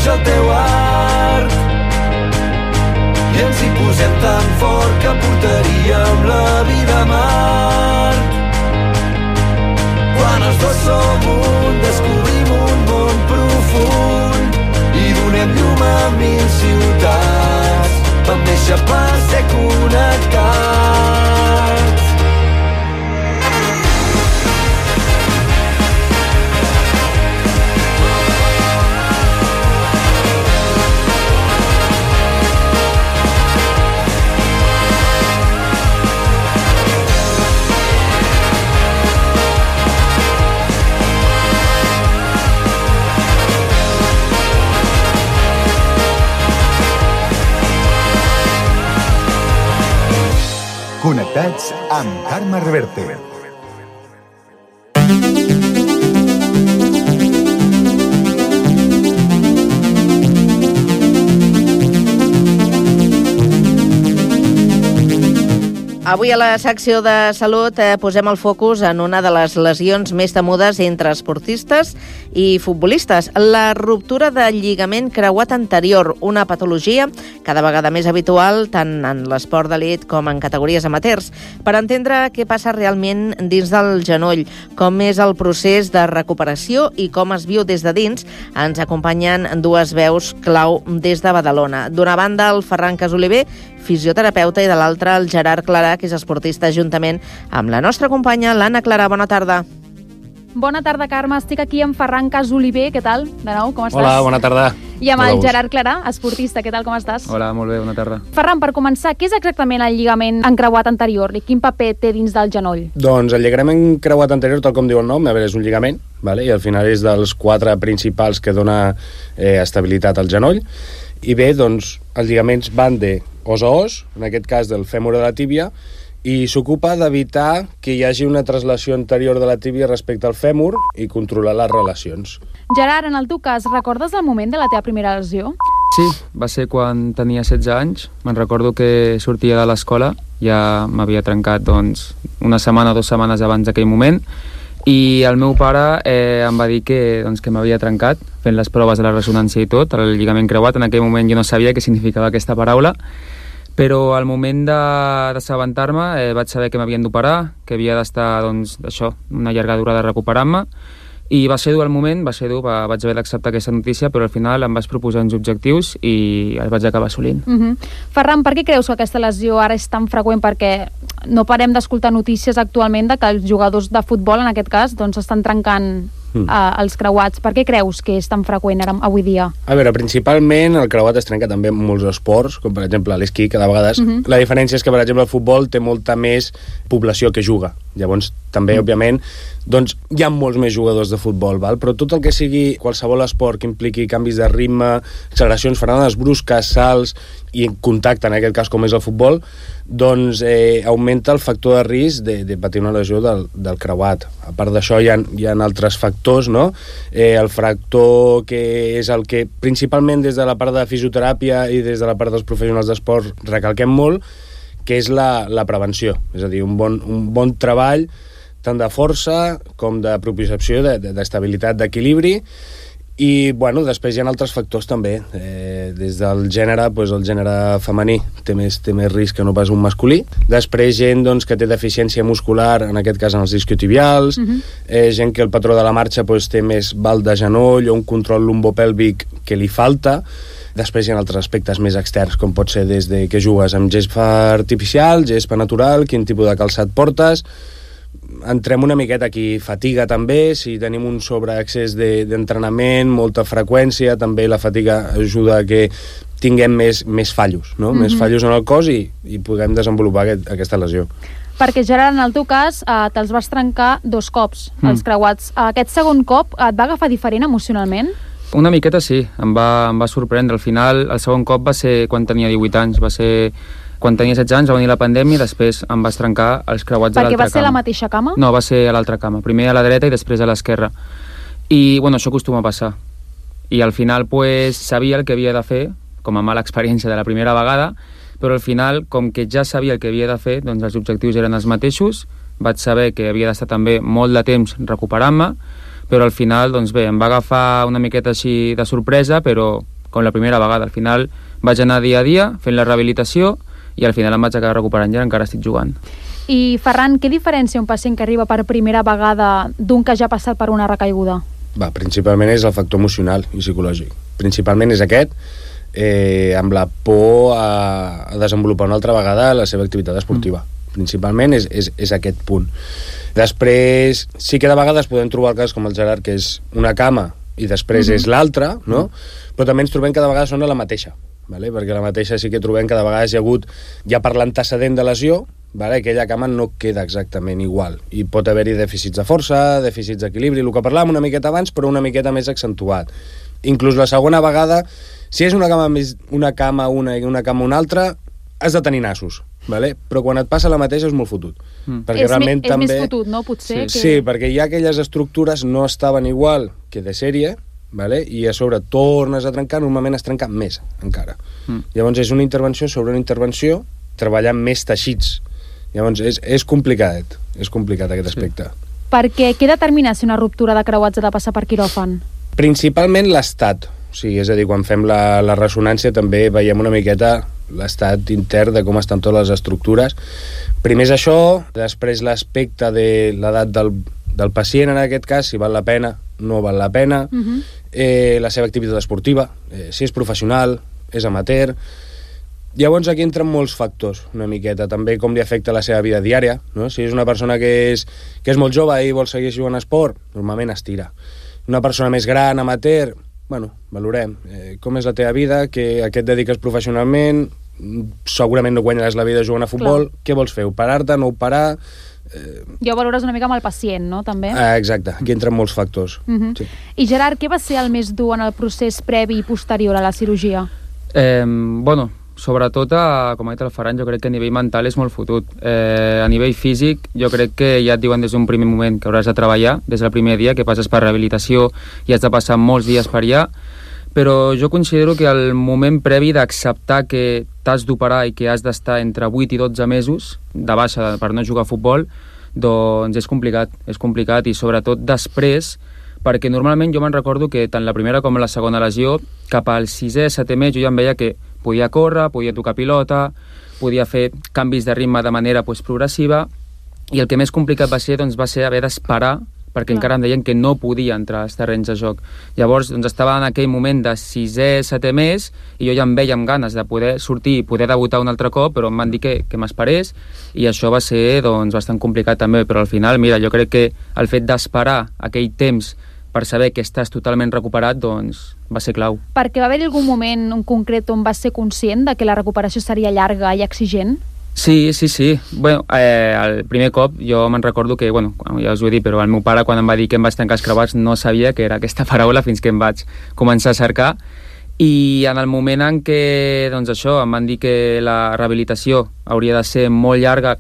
coneix el teu art i ens hi posem tan fort que portaríem la vida a Mart. Quan els dos som un, descobrim un món profund i donem llum a 1000 ciutats. Vam néixer per ser connectats. Connectats amb Carme Reverte. Avui a la secció de salut posem el focus en una de les lesions més temudes entre esportistes i futbolistes, la ruptura del lligament creuat anterior, una patologia cada vegada més habitual tant en l'esport d'elit com en categories amateurs. Per entendre què passa realment dins del genoll, com és el procés de recuperació i com es viu des de dins, ens acompanyen dues veus clau des de Badalona. D'una banda, el Ferran Casoliver, fisioterapeuta, i de l'altra, el Gerard Clarà, que és esportista, juntament amb la nostra companya, l'Anna Clarà. Bona tarda. Bona tarda, Carme. Estic aquí amb Ferran Casoliver. Què tal? De nou, com estàs? Hola, bona tarda. I amb el Gerard Clarà, esportista. Què tal, com estàs? Hola, molt bé, bona tarda. Ferran, per començar, què és exactament el lligament encreuat anterior i quin paper té dins del genoll? Doncs el lligament encreuat anterior, tal com diu el nom, a veure, és un lligament, vale? I al final és dels 4 principals que dona estabilitat al genoll. I bé, doncs, els lligaments van de os a os, en aquest cas del fèmur a la tíbia, i s'ocupa d'evitar que hi hagi una traslació anterior de la tíbia respecte al fèmur i controlar les relacions. Gerard, en el teu cas, recordes el moment de la teva primera lesió? Sí, va ser quan tenia 16 anys. Me'n recordo que sortia de l'escola, ja m'havia trencat doncs, una setmana o 2 setmanes abans d'aquell moment, i el meu pare em va dir que m'havia trencat fent les proves de la ressonància i tot, el lligament creuat. En aquell moment jo no sabia què significava aquesta paraula, però al moment d'assabentar-me vaig saber que m'havien d'operar, que havia d'estar una llarga durada recuperant-me, i va ser dur el moment, vaig haver d'acceptar aquesta notícia, però al final em vaig proposar uns objectius i els vaig acabar assolint. Ferran, per què creus que aquesta lesió ara és tan freqüent? Perquè no parem d'escoltar notícies actualment de que els jugadors de futbol, en aquest cas, estan trencant els creuats. Per què creus que és tan freqüent ara, avui dia? A veure, principalment el creuat es trenca també en molts esports, com per exemple l'esquí, que de vegades la diferència és que, per exemple, el futbol té molta més població que juga. Llavors, també, òbviament, doncs hi ha molts més jugadors de futbol, val? Però tot el que sigui qualsevol esport que impliqui canvis de ritme, acceleracions, frenades brusques, salts i contacte, en aquest cas com és el futbol, doncs augmenta el factor de risc de patir una lesió del creuat. A part d'això hi ha altres factors, no? El factor que és el que principalment des de la part de fisioteràpia i des de la part dels professionals d'esport recalquem molt, que és la prevenció, és a dir, un bon treball tant de força com de propiocepció, d'estabilitat, d'equilibri. I, bueno, després hi ha altres factors també. Des del gènere, doncs el gènere femení té més risc que no pas un masculí. Després gent que té deficiència muscular, en aquest cas en els isquiotibials, gent que el patró de la marxa té més val de genoll o un control lumbopèlvic que li falta. Després hi ha altres aspectes més externs, com pot ser des de que jugues amb gespa artificial, gespa natural, quin tipus de calçat portes. Entrem una miqueta aquí, fatiga també, si tenim un sobreaccés d'entrenament, molta freqüència, també la fatiga ajuda a que tinguem més fallos, no? Més fallos en el cos i puguem desenvolupar aquesta lesió. Perquè, Gerard, en el teu cas, te'ls vas trencar 2 cops, els creuats. Aquest segon cop et va agafar diferent emocionalment? Una miqueta sí, em va sorprendre. Al final, el segon cop va ser quan tenia 18 anys, va ser quan tenia 16 anys, va venir la pandèmia i després em vas trencar els creuats a l'altra cama. Perquè va ser la mateixa cama? No, va ser a l'altra cama. Primer a la dreta i després a l'esquerra. I, bueno, això acostuma a passar. I al final, sabia el que havia de fer, com a mala experiència de la primera vegada, però al final, com que ja sabia el que havia de fer, doncs els objectius eren els mateixos, vaig saber que havia d'estar també molt de temps recuperant-me, però al final, doncs bé, em va agafar una miqueta així de sorpresa, però com la primera vegada. Al final vaig anar dia a dia fent la rehabilitació i al final em vaig acabar recuperant i encara estic jugant. I Ferran, què diferència un pacient que arriba per primera vegada d'un que ja ha passat per una recaiguda? Principalment és el factor emocional i psicològic. Principalment és aquest, amb la por a desenvolupar una altra vegada la seva activitat esportiva. Principalment és aquest punt. Després, sí que de vegades podem trobar el cas com el Gerard, que és una cama i després és l'altra, no? Però també ens trobem que de vegades són la mateixa, vale? Perquè la mateixa sí que trobem que de vegades hi ha hagut, ja per l'antecedent de lesió, vale? Aquella cama no queda exactament igual i pot haver-hi dèficits de força, dèficits d'equilibri, el que parlàvem una miqueta abans, però una miqueta més accentuat. Inclús la segona vegada, si és una cama una i una cama una altra, has de tenir nassos, vale? Però quan et passa la mateixa és molt fotut. Perquè realment és també... més fotut, no? Potser Sí, perquè ja aquelles estructures no estaven igual que de sèrie, vale? I a sobre tornes a trencar, normalment es trenca més encara. Llavors és una intervenció sobre una intervenció, treballant més teixits. Llavors és complicat aquest aspecte. Perquè què determina si una ruptura de creuats ha de passar per quiròfan? Principalment l'estat. Sí, és a dir, quan fem la ressonància també veiem una miqueta l'estat intern de com estan totes les estructures. Primer és això, després l'aspecte de l'edat del pacient, en aquest cas, si val la pena, no val la pena, la seva activitat esportiva, si és professional, és amateur. Llavors aquí entren molts factors, una miqueta, també com li afecta la seva vida diària, no? Si és una persona que és molt jove i vol seguir jugant a esport, normalment es tira. Una persona més gran, amateur, valorem com és la teva vida, a què et dediques professionalment, segurament no guanyaràs la vida jugant a futbol. Clar. Què vols fer? Operar-te, no operar? Ja ho valores una mica amb el pacient, no? També. Exacte, aquí entren molts factors. Sí. I Gerard, què va ser el més dur en el procés previ i posterior a la cirurgia? Sobretot, com ha dit el Ferran, jo crec que a nivell mental és molt fotut. A nivell físic, jo crec que ja et diuen des d'un primer moment que hauràs de treballar, des del primer dia, que passes per rehabilitació i has de passar molts dies per allà, però jo considero que el moment previ d'acceptar que t'has d'operar i que has d'estar entre 8 i 12 mesos de baixa per no jugar a futbol, doncs és complicat i sobretot després, perquè normalment jo me'n recordo que tant la primera com la segona lesió, cap al 6è, 7è mes, jo ja em veia que podia córrer, podia tocar pilota, podia fer canvis de ritme de manera progressiva, i el que més complicat va ser haver d'esperar, perquè encara em deien que no podia entrar als terrenys de joc. Llavors estava en aquell moment de 6è, 7è mes, i jo ja em veia amb ganes de poder sortir i poder debutar un altre cop, però em van dir que m'esperés, i això va ser bastant complicat també, però al final, mira, jo crec que el fet d'esperar aquell temps per saber que estàs totalment recuperat, va ser clau. Perquè va haver-hi algun moment en concret on vas ser conscient de que la recuperació seria llarga i exigent? Sí. Bueno, el primer cop jo me'n recordo que, ja us ho he dit, però el meu pare quan em va dir que em vaig tancar els creuats no sabia que era aquesta paraula fins que em vaig començar a cercar, i en el moment en què em van dir que la rehabilitació hauria de ser molt llarga,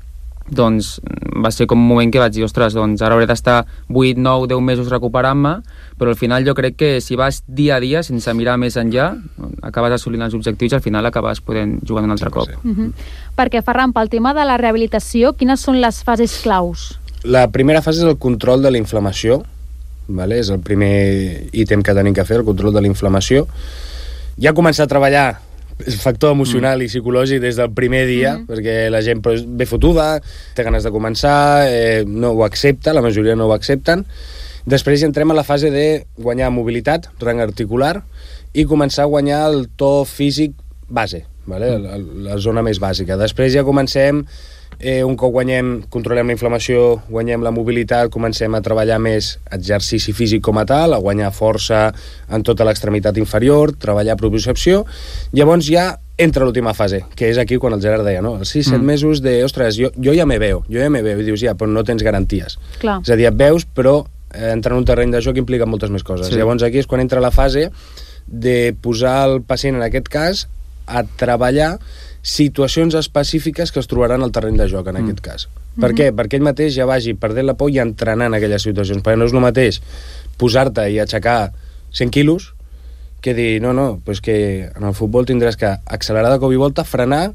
va ser com un moment que vaig dir, ostres, ara hauré d'estar 8, 9, 10 mesos recuperant-me, però al final jo crec que si vas dia a dia sense mirar més enllà, acabes assolint els objectius i al final acabes podent jugar un altre cop. Perquè, Ferran, pel tema de la rehabilitació, quines són les fases claus? La primera fase és el control de la inflamació, vale? És el primer ítem que tenim que fer, el control de la inflamació. Ja començar a treballar el factor emocional i psicològic des del primer dia, perquè la gent ve fotuda, té ganes de començar, no ho accepta, la majoria no ho accepten. Després ja entrem a la fase de guanyar mobilitat, rang articular, i començar a guanyar el to físic base, vale? La zona més bàsica. Després ja comencem, un cop controlem la inflamació, guanyem la mobilitat, comencem a treballar més exercici físic com a tal, a guanyar força en tota l'extremitat inferior, treballar propiocepció. Llavors ja entra l'última fase, que és aquí quan el Gerard deia, no? Els 6-7 mesos de, ostres, jo ja me veo, i dius, ja, però no tens garanties. Clar. És a dir, et veus, però entrar en un terreny de joc implica moltes més coses. Sí. Llavors aquí és quan entra la fase de posar el pacient, en aquest cas, a treballar situacions específiques que es trobaran al terreny de joc, en aquest cas. Per què? Perquè ell mateix ja vagi perdent la por i entrenant aquelles situacions, perquè no és el mateix posar-te i aixecar 100 quilos que dir, pues que en el futbol tindràs que accelerar de cop i volta, frenar,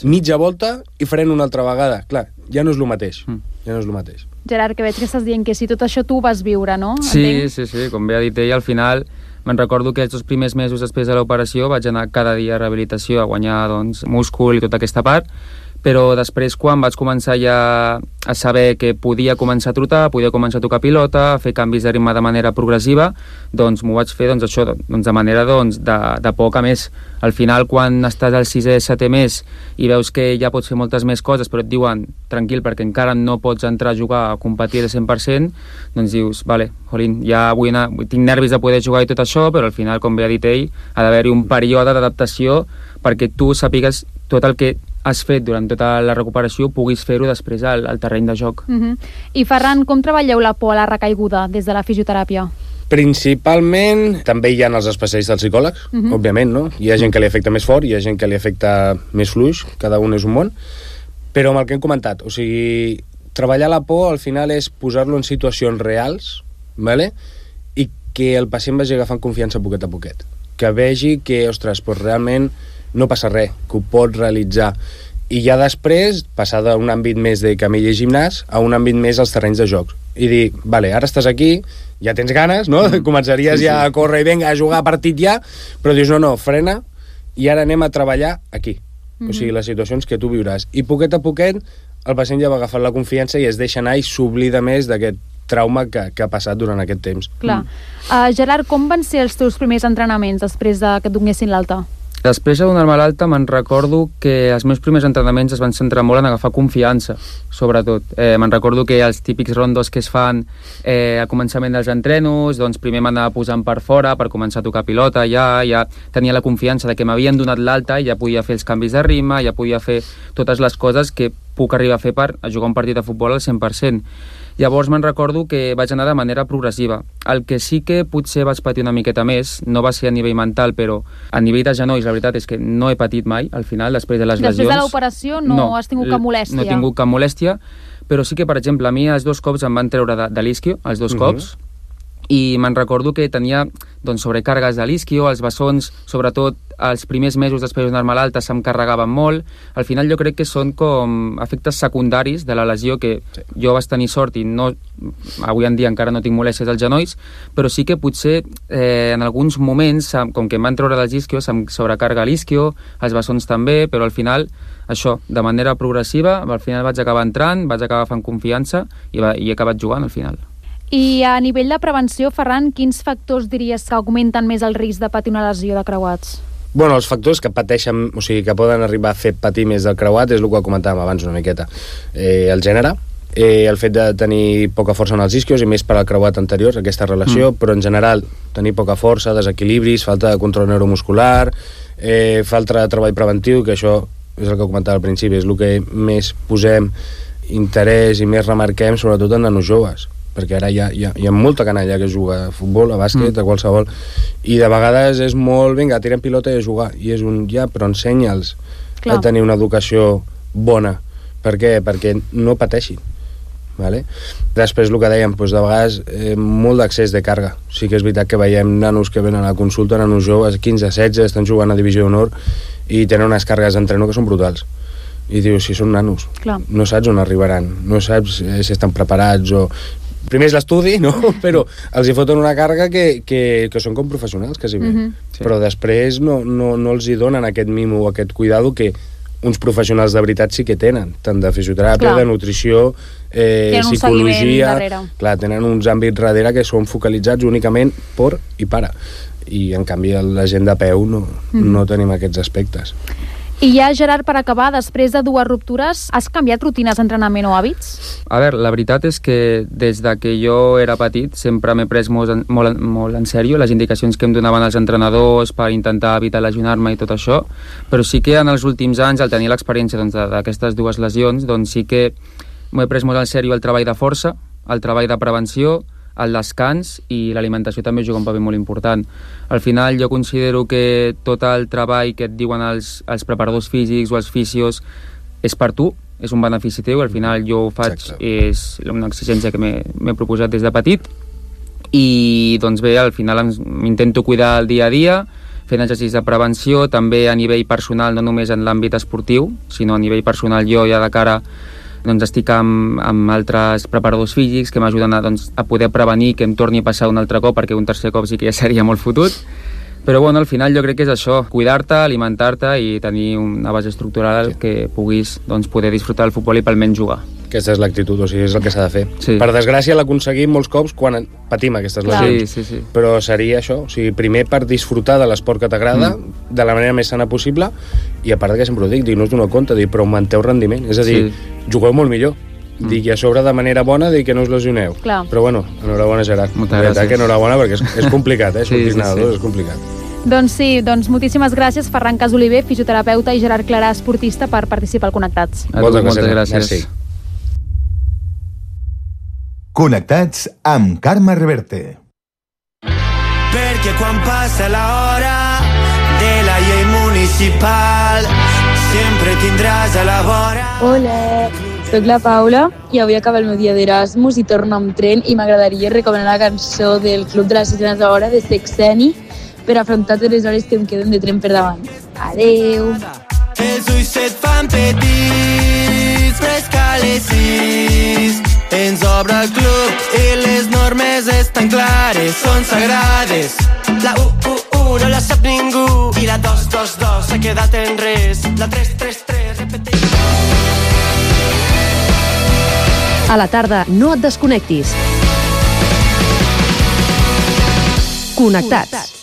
mitja volta i fren una altra vegada. Clar, ja no és el mateix. Ja no és el mateix. Gerard, que veig que estàs dient que si tot això tu ho vas viure, no? Sí, com bé ha dit ell, al final me'n recordo que els 2 primers mesos després de l'operació vaig anar cada dia a rehabilitació a guanyar doncs, múscul i tota aquesta part, però després quan vaig començar ja a saber que podia començar a trotar, podia començar a tocar pilota, a fer canvis de ritme de manera progressiva, doncs m'ho vaig fer això, de manera de poc a més. Al final, quan estàs al 6è, 7è mes i veus que ja pots fer moltes més coses, però et diuen, tranquil, perquè encara no pots entrar a jugar a competir al 100%, doncs dius, vale, jolín, ja vull anar, tinc nervis de poder jugar i tot això, però al final, com bé ha dit ell, ha d'haver-hi un període d'adaptació perquè tu sàpigues tot el que has fet durant tota la recuperació puguis fer-ho després al terreny de joc. I Ferran, com treballeu la por a la recaiguda des de la fisioteràpia? Principalment, també hi ha els especialistes psicòlegs, òbviament, no? Hi ha gent que li afecta més fort, hi ha gent que li afecta més fluix, cada un és un món, però amb el que hem comentat, o sigui, treballar la por al final és posar-lo en situacions reals, ¿vale? I que el pacient vagi agafant confiança poquet a poquet, que vegi que, ostres, doncs realment no passa res, que ho pot realitzar, i ja després passar d'un àmbit més de camilla i gimnàs a un àmbit més als terrenys de jocs i dir, vale, ara estàs aquí, ja tens ganes, no? Començaries ja a córrer i vinga, a jugar a partit ja, però dius, no, frena, i ara anem a treballar aquí, o sigui, les situacions que tu viuràs, i poquet a poquet el pacient ja va agafant la confiança i es deixa anar i s'oblida més d'aquest trauma que ha passat durant aquest temps. Clar. Gerard, com van ser els teus primers entrenaments després que et donessin l'alta? Després de donar-me l'alta me'n recordo que els meus primers entrenaments es van centrar molt en agafar confiança, sobretot. Me'n recordo que els típics rondos que es fan al començament dels entrenos, doncs primer m'anava posant per fora per començar a tocar pilota, ja tenia la confiança de que m'havien donat l'alta i ja podia fer els canvis de ritme, ja podia fer totes les coses que puc arribar a fer per jugar un partit de futbol al 100%. Llavors me'n recordo que vaig anar de manera progressiva. El que sí que potser vaig patir una miqueta més, no va ser a nivell mental, però a nivell de genolls, la veritat és que no he patit mai, al final, després de les lesions. Després de l'operació no has tingut cap molèstia? No he tingut cap molèstia, però sí que, per exemple, a mi els 2 cops em van treure de l'isquio, els 2 cops, i me'n recordo que tenia sobrecàrregues de l'isquio, els bessons, sobretot els primers mesos després de donar-me l'alta se'm carregaven molt. Al final jo crec que són com efectes secundaris de la lesió que jo vaig tenir sort i no, avui en dia encara no tinc molèsties als genolls, però sí que potser en alguns moments, com que em van treure dels isquios, se'm sobrecarga l'isquio, els bessons també, però al final això, de manera progressiva, al final vaig acabar entrant, vaig acabar fent confiança i he acabat jugant al final. I a nivell de prevenció, Ferran, quins factors diries que augmenten més el risc de patir una lesió de creuats? Bueno, els factors que pateixen, o sigui, que poden arribar a fer patir més del creuat és el que comentàvem abans una miqueta. El gènere, el fet de tenir poca força en els isquios i més per al creuat anterior, aquesta relació, però en general tenir poca força, desequilibris, falta de control neuromuscular, falta de treball preventiu, que això és el que comentava al principi, és el que més posem interès i més remarquem, sobretot en nanos joves, perquè ara hi ha molta canalla que juga a futbol, a bàsquet, a qualsevol, i de vegades és molt, vinga, tirem pilota i a jugar, i és un però ensenya'ls a tenir una educació bona. Per què? Perquè no pateixin. Vale? Després el que dèiem, doncs de vegades molt d'accés de càrrega. Sí que és veritat que veiem nanos que venen a la consulta, nanos joves, 15-16, estan jugant a Divisió d'Honor i tenen unes càrregues d'entreno que són brutals. I dius, si són nanos, no saps on arribaran, no saps si estan preparats o... Primer és l'estudi, no? Però els hi foten una càrrega que són com professionals, quasi bé. Però després no els hi donen aquest mimo o aquest cuidado que uns professionals de veritat sí que tenen, tant de fisioteràpia, de nutrició, psicologia... Clar, tenen uns àmbits darrere que són focalitzats únicament por i para. I, en canvi, la gent de peu no tenim aquests aspectes. I ja, Gerard, per acabar, després de 2 ruptures, has canviat rutines d'entrenament o hàbits? A veure, la veritat és que des de que jo era petit sempre m'he pres molt en sèrio les indicacions que em donaven els entrenadors per intentar evitar lesionar-me i tot això, però sí que en els últims anys, al tenir l'experiència d'aquestes 2 lesions, doncs sí que m'he pres molt en sèrio el treball de força, el treball de prevenció, el descans i l'alimentació també juga un paper molt important. Al final jo considero que tot el treball que et diuen els preparadors físics o els fisios és per tu, és un benefici teu, al final jo ho faig, és una exigència que m'he proposat des de petit i doncs bé, al final m'intento cuidar el dia a dia fent exercicis de prevenció, també a nivell personal, no només en l'àmbit esportiu, sinó a nivell personal jo ja de cara Doncs estic amb altres preparadors físics que m'ajuden a poder prevenir que em torni a passar un altre cop, perquè un tercer cop sí que ja seria molt fotut. Però bueno, al final jo crec que és això, cuidar-te, alimentar-te i tenir una base estructural que puguis poder disfrutar del futbol i almenys jugar. Aquesta és l'actitud, o sigui, és el que s'ha de fer. Sí. Per desgràcia l'aconseguim molts cops quan patim aquestes lesions. Sí. Però seria això, o sigui, primer per disfrutar de l'esport que t'agrada, de la manera més sana possible, i a part que sempre ho dic, no us doneu compte, però augmenteu rendiment, és a dir, jugueu molt millor. Dic, i a sobre de manera bona, dic que no us lesioneu. Clar. Però bueno, enhorabona, Gerard. Moltes gràcies. Que enhorabona, perquè és complicat, sortir nedadors, és complicat. Doncs sí, moltíssimes gràcies Ferran Casoliver, fisioterapeuta, i Gerard Clarà, esportista, per participar al Connectats. Moltes gràcies. Connectats amb Carme Reverte. Perquè quan passa l'hora de la llei municipal sempre tindràs a la vora. Hola, soc la Paula i avui acaba el meu dia d'Erasmus i torno amb tren i m'agradaria recomanar la cançó del Club de les Sirenes d'Hora de Sexeni per afrontar totes les hores que em queden de tren per davant. Adeu! Els ulls se't fan petits, però és que a les 6 ens obre el club i les normes estan clares, són sagrades. La 1 no la sap ningú i la 2 s'ha quedat en res. La 3 repeteix. A la tarda no et desconnectis. Connectats.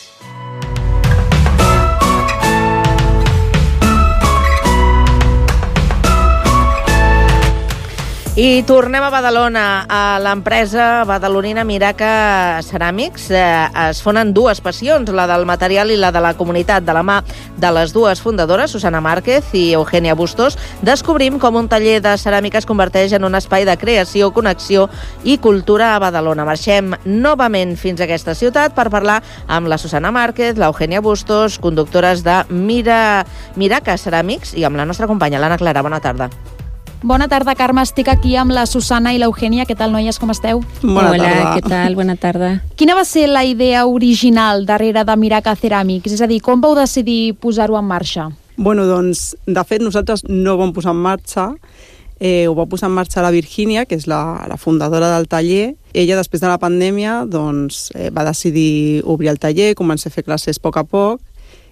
I tornem a Badalona, a l'empresa badalonina Miraca Ceràmics. Es fonen dues passions, la del material i la de la comunitat. De la mà de les dues fundadores, Susana Márquez i Eugènia Bustos, descobrim com un taller de ceràmica es converteix en un espai de creació, connexió i cultura a Badalona. Marxem novament fins a aquesta ciutat per parlar amb la Susana Márquez, l'Eugènia Bustos, conductores de Miraca Ceràmics, i amb la nostra companya, l'Anna Clara. Bona tarda. Bona tarda, Carme. Estic aquí amb la Susana i l'Eugènia. Què tal, noies? Com esteu? Hola, què tal? Bona tarda. Quina va ser la idea original darrere de Miraca Ceràmics? És a dir, com vau decidir posar-ho en marxa? Bueno, doncs, de fet, nosaltres no ho vam posar en marxa. Ho va posar en marxa la Virgínia, que és la fundadora del taller. Ella, després de la pandèmia, doncs, va decidir obrir el taller, començar a fer classes a poc,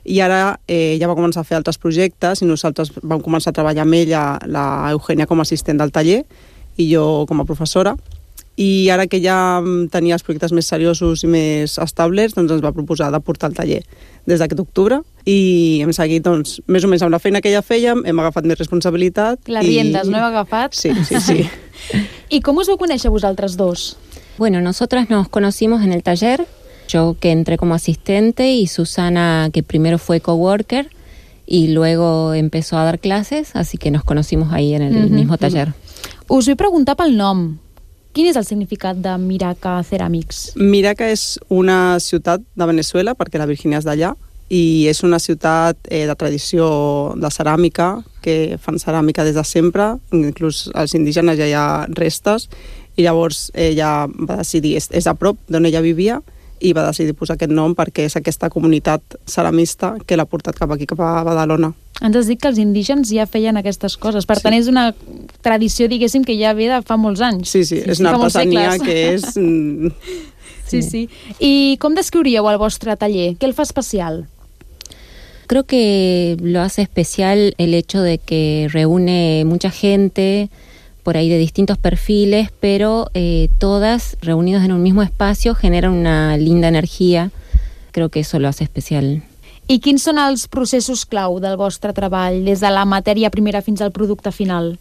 i ara ja va començar a fer altres projectes i nosaltres vam començar a treballar amb ella, la Eugènia com a assistent del taller i jo com a professora. I ara que ja tenia els projectes més seriosos i més establerts, doncs ens va proposar de portar el taller des d'aquest octubre i hem seguit doncs, més o menys amb la feina que ja fèiem, hem agafat més responsabilitat. Les riendes, no heu agafat? Sí. I com us vau conèixer vosaltres dos? Bueno, nosotras nos conocimos en el taller. Yo que entré como asistente y Susana que primero fue coworker y luego empezó a dar clases, así que nos conocimos ahí en el mismo taller. Us vull preguntar pel nom. Quin és el significat de Miraca Ceràmics? Miraca és una ciutat de Venezuela, perquè la Virgínia és d'allà, i és una ciutat de tradició de ceràmica, que fan ceràmica des de sempre, inclús als indígenes ja hi ha restes, i llavors ella va decidir, és a prop d'on ella vivia, i va decidir posar aquest nom perquè és aquesta comunitat ceramista que l'ha portat cap aquí, cap a Badalona. Ens has dit que els indígens ja feien aquestes coses. Per tant, és una tradició, diguéssim, que ja ve de fa molts anys. Sí, és una artesania que és... Sí. I com descriuríeu el vostre taller? Què el fa especial? Creo que lo hace especial el hecho de que reúne mucha gente por ahí de distintos perfiles, pero todas reunidas en un mismo espacio generan una linda energía. Creo que eso lo hace especial. I quins són els processos clau del vostre treball, des de la matèria primera fins al producte final?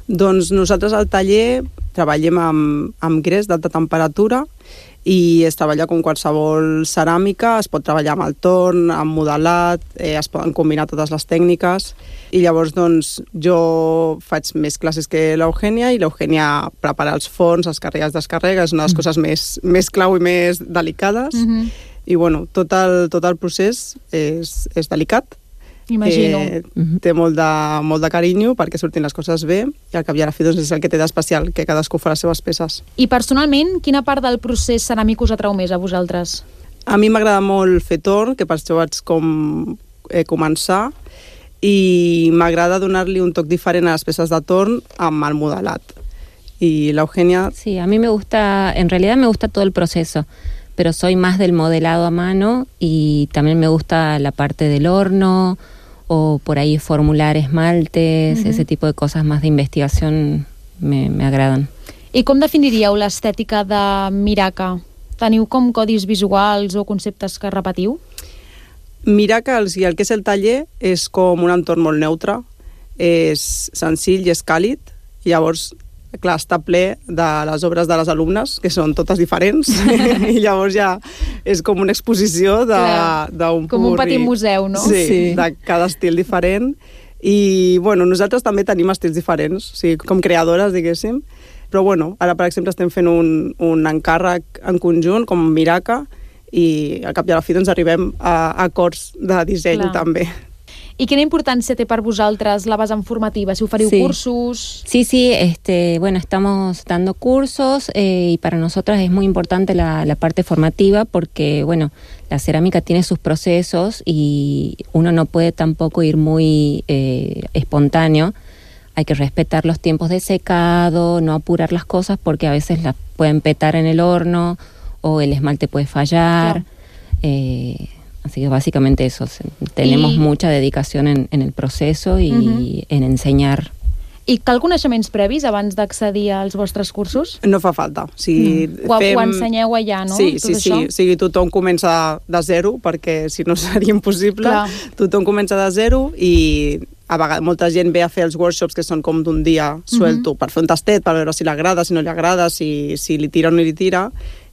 Doncs nosaltres al taller treballem amb gres d'alta temperatura i es treballa com qualsevol ceràmica, es pot treballar amb el torn, amb modelat, es poden combinar totes les tècniques i llavors doncs jo faig més classes que l'Eugènia i l'Eugènia prepara els forns, els carrega, els descarrega, és una de les coses més clau i més delicades i bueno, tot el procés és delicat. Imagino. Té molt de carinyo perquè surtin les coses bé i al cap i a la fi doncs, és el que té d'especial, que cadascú fa les seves peces. I personalment, quina part del procés ceràmic us atrau més a vosaltres? A mi m'agrada molt fer torn, que per això vaig començar, i m'agrada donar-li un toc diferent a les peces de torn amb el modelat. Y la Eugenia... Sí, a mí me gusta, en realidad me gusta todo el proceso, pero soy más del modelado a mano y también me gusta la parte del horno o por ahí formular esmaltes, ese tipo de cosas más de investigación me agradan. I com definiríeu l'estètica de Miraca? Teniu com codis visuals o conceptes que repetiu? Miraca, el que és el taller, és com un entorn molt neutre, és senzill i és càlid, llavors, clar, està ple de les obres de les alumnes, que són totes diferents, i llavors ja és com una exposició d'un com un petit museu, no? Sí, de cada estil diferent. I, bueno, nosaltres també tenim estils diferents, o sigui, com creadores, diguéssim, però, bueno, ara, per exemple, estem fent un encàrrec en conjunt, com Miraca, i al cap i a la fi doncs arribem a acords de disseny també. I quina importància té per vosaltres la vessant formativa? Si oferiu cursos... Sí, bueno, estamos dando cursos y para nosotras es muy importante la parte formativa porque, bueno, la cerámica tiene sus procesos y uno no puede tampoco ir muy espontáneo. Hay que respetar los tiempos de secado, no apurar las cosas porque a veces las pueden petar en el horno o el esmalte puede fallar. Así que básicamente eso, tenemos mucha dedicación en el proceso y en ensenyar. I cal coneixements previs abans d'accedir als vostres cursos? No fa falta. O sigui, ho ensenyeu allà, no? Sí. O sigui, tothom comença de zero, perquè si no seria impossible. Clar. Tothom comença de zero i a vegades molta gent ve a fer els workshops que són com d'un dia suelto per fer un tastet, per veure si li agrada, si no li agrada, si li tira o no li tira.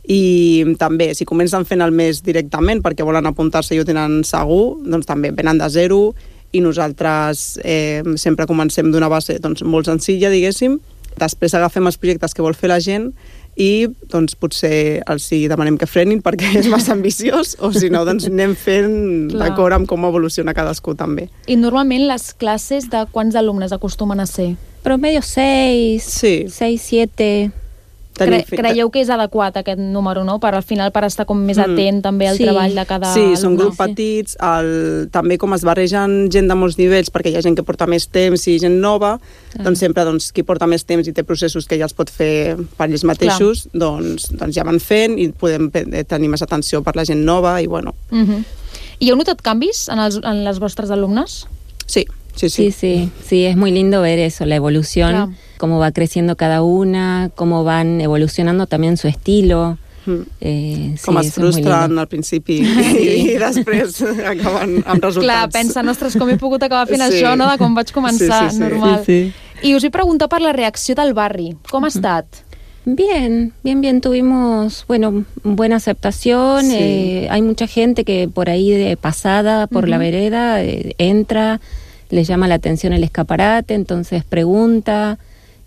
I també, si comencen fent el mes directament perquè volen apuntar-se i ho tenen segur, doncs també venen de zero i nosaltres sempre comencem d'una base molt senzilla, diguéssim. Després agafem els projectes que vol fer la gent i doncs potser els demanem que frenin perquè és massa ambiciós o si no doncs anem fent d'acord amb com evoluciona cadascú també. I normalment les classes de quants alumnes acostumen a ser? Promedio 6, 7... Creieu que és adequat aquest número, no? Per al final, per estar com més atent també al treball de cada alumne. Sí, són grups petits, també com es barregen gent de molts nivells, perquè hi ha gent que porta més temps i gent nova, doncs sempre qui porta més temps i té processos que ja els pot fer per ells mateixos, doncs ja van fent i podem tenir més atenció per la gent nova i bueno. I heu notat canvis en les vostres alumnes? Sí. Sí, es muy lindo ver eso, la evolución, cómo va creciendo cada una, cómo van evolucionando también su estilo. Com es frustren al principi i després acaben amb resultats. Clar, pensen, ostres, com he pogut acabar fent això, no? De com vaig començar, normal. I us he preguntat per la reacció del barri. Com ha estat? Bien, tuvimos, buena aceptación, hay mucha gente que por ahí de pasada por la vereda entra, les llama la atención el escaparate, entonces pregunta.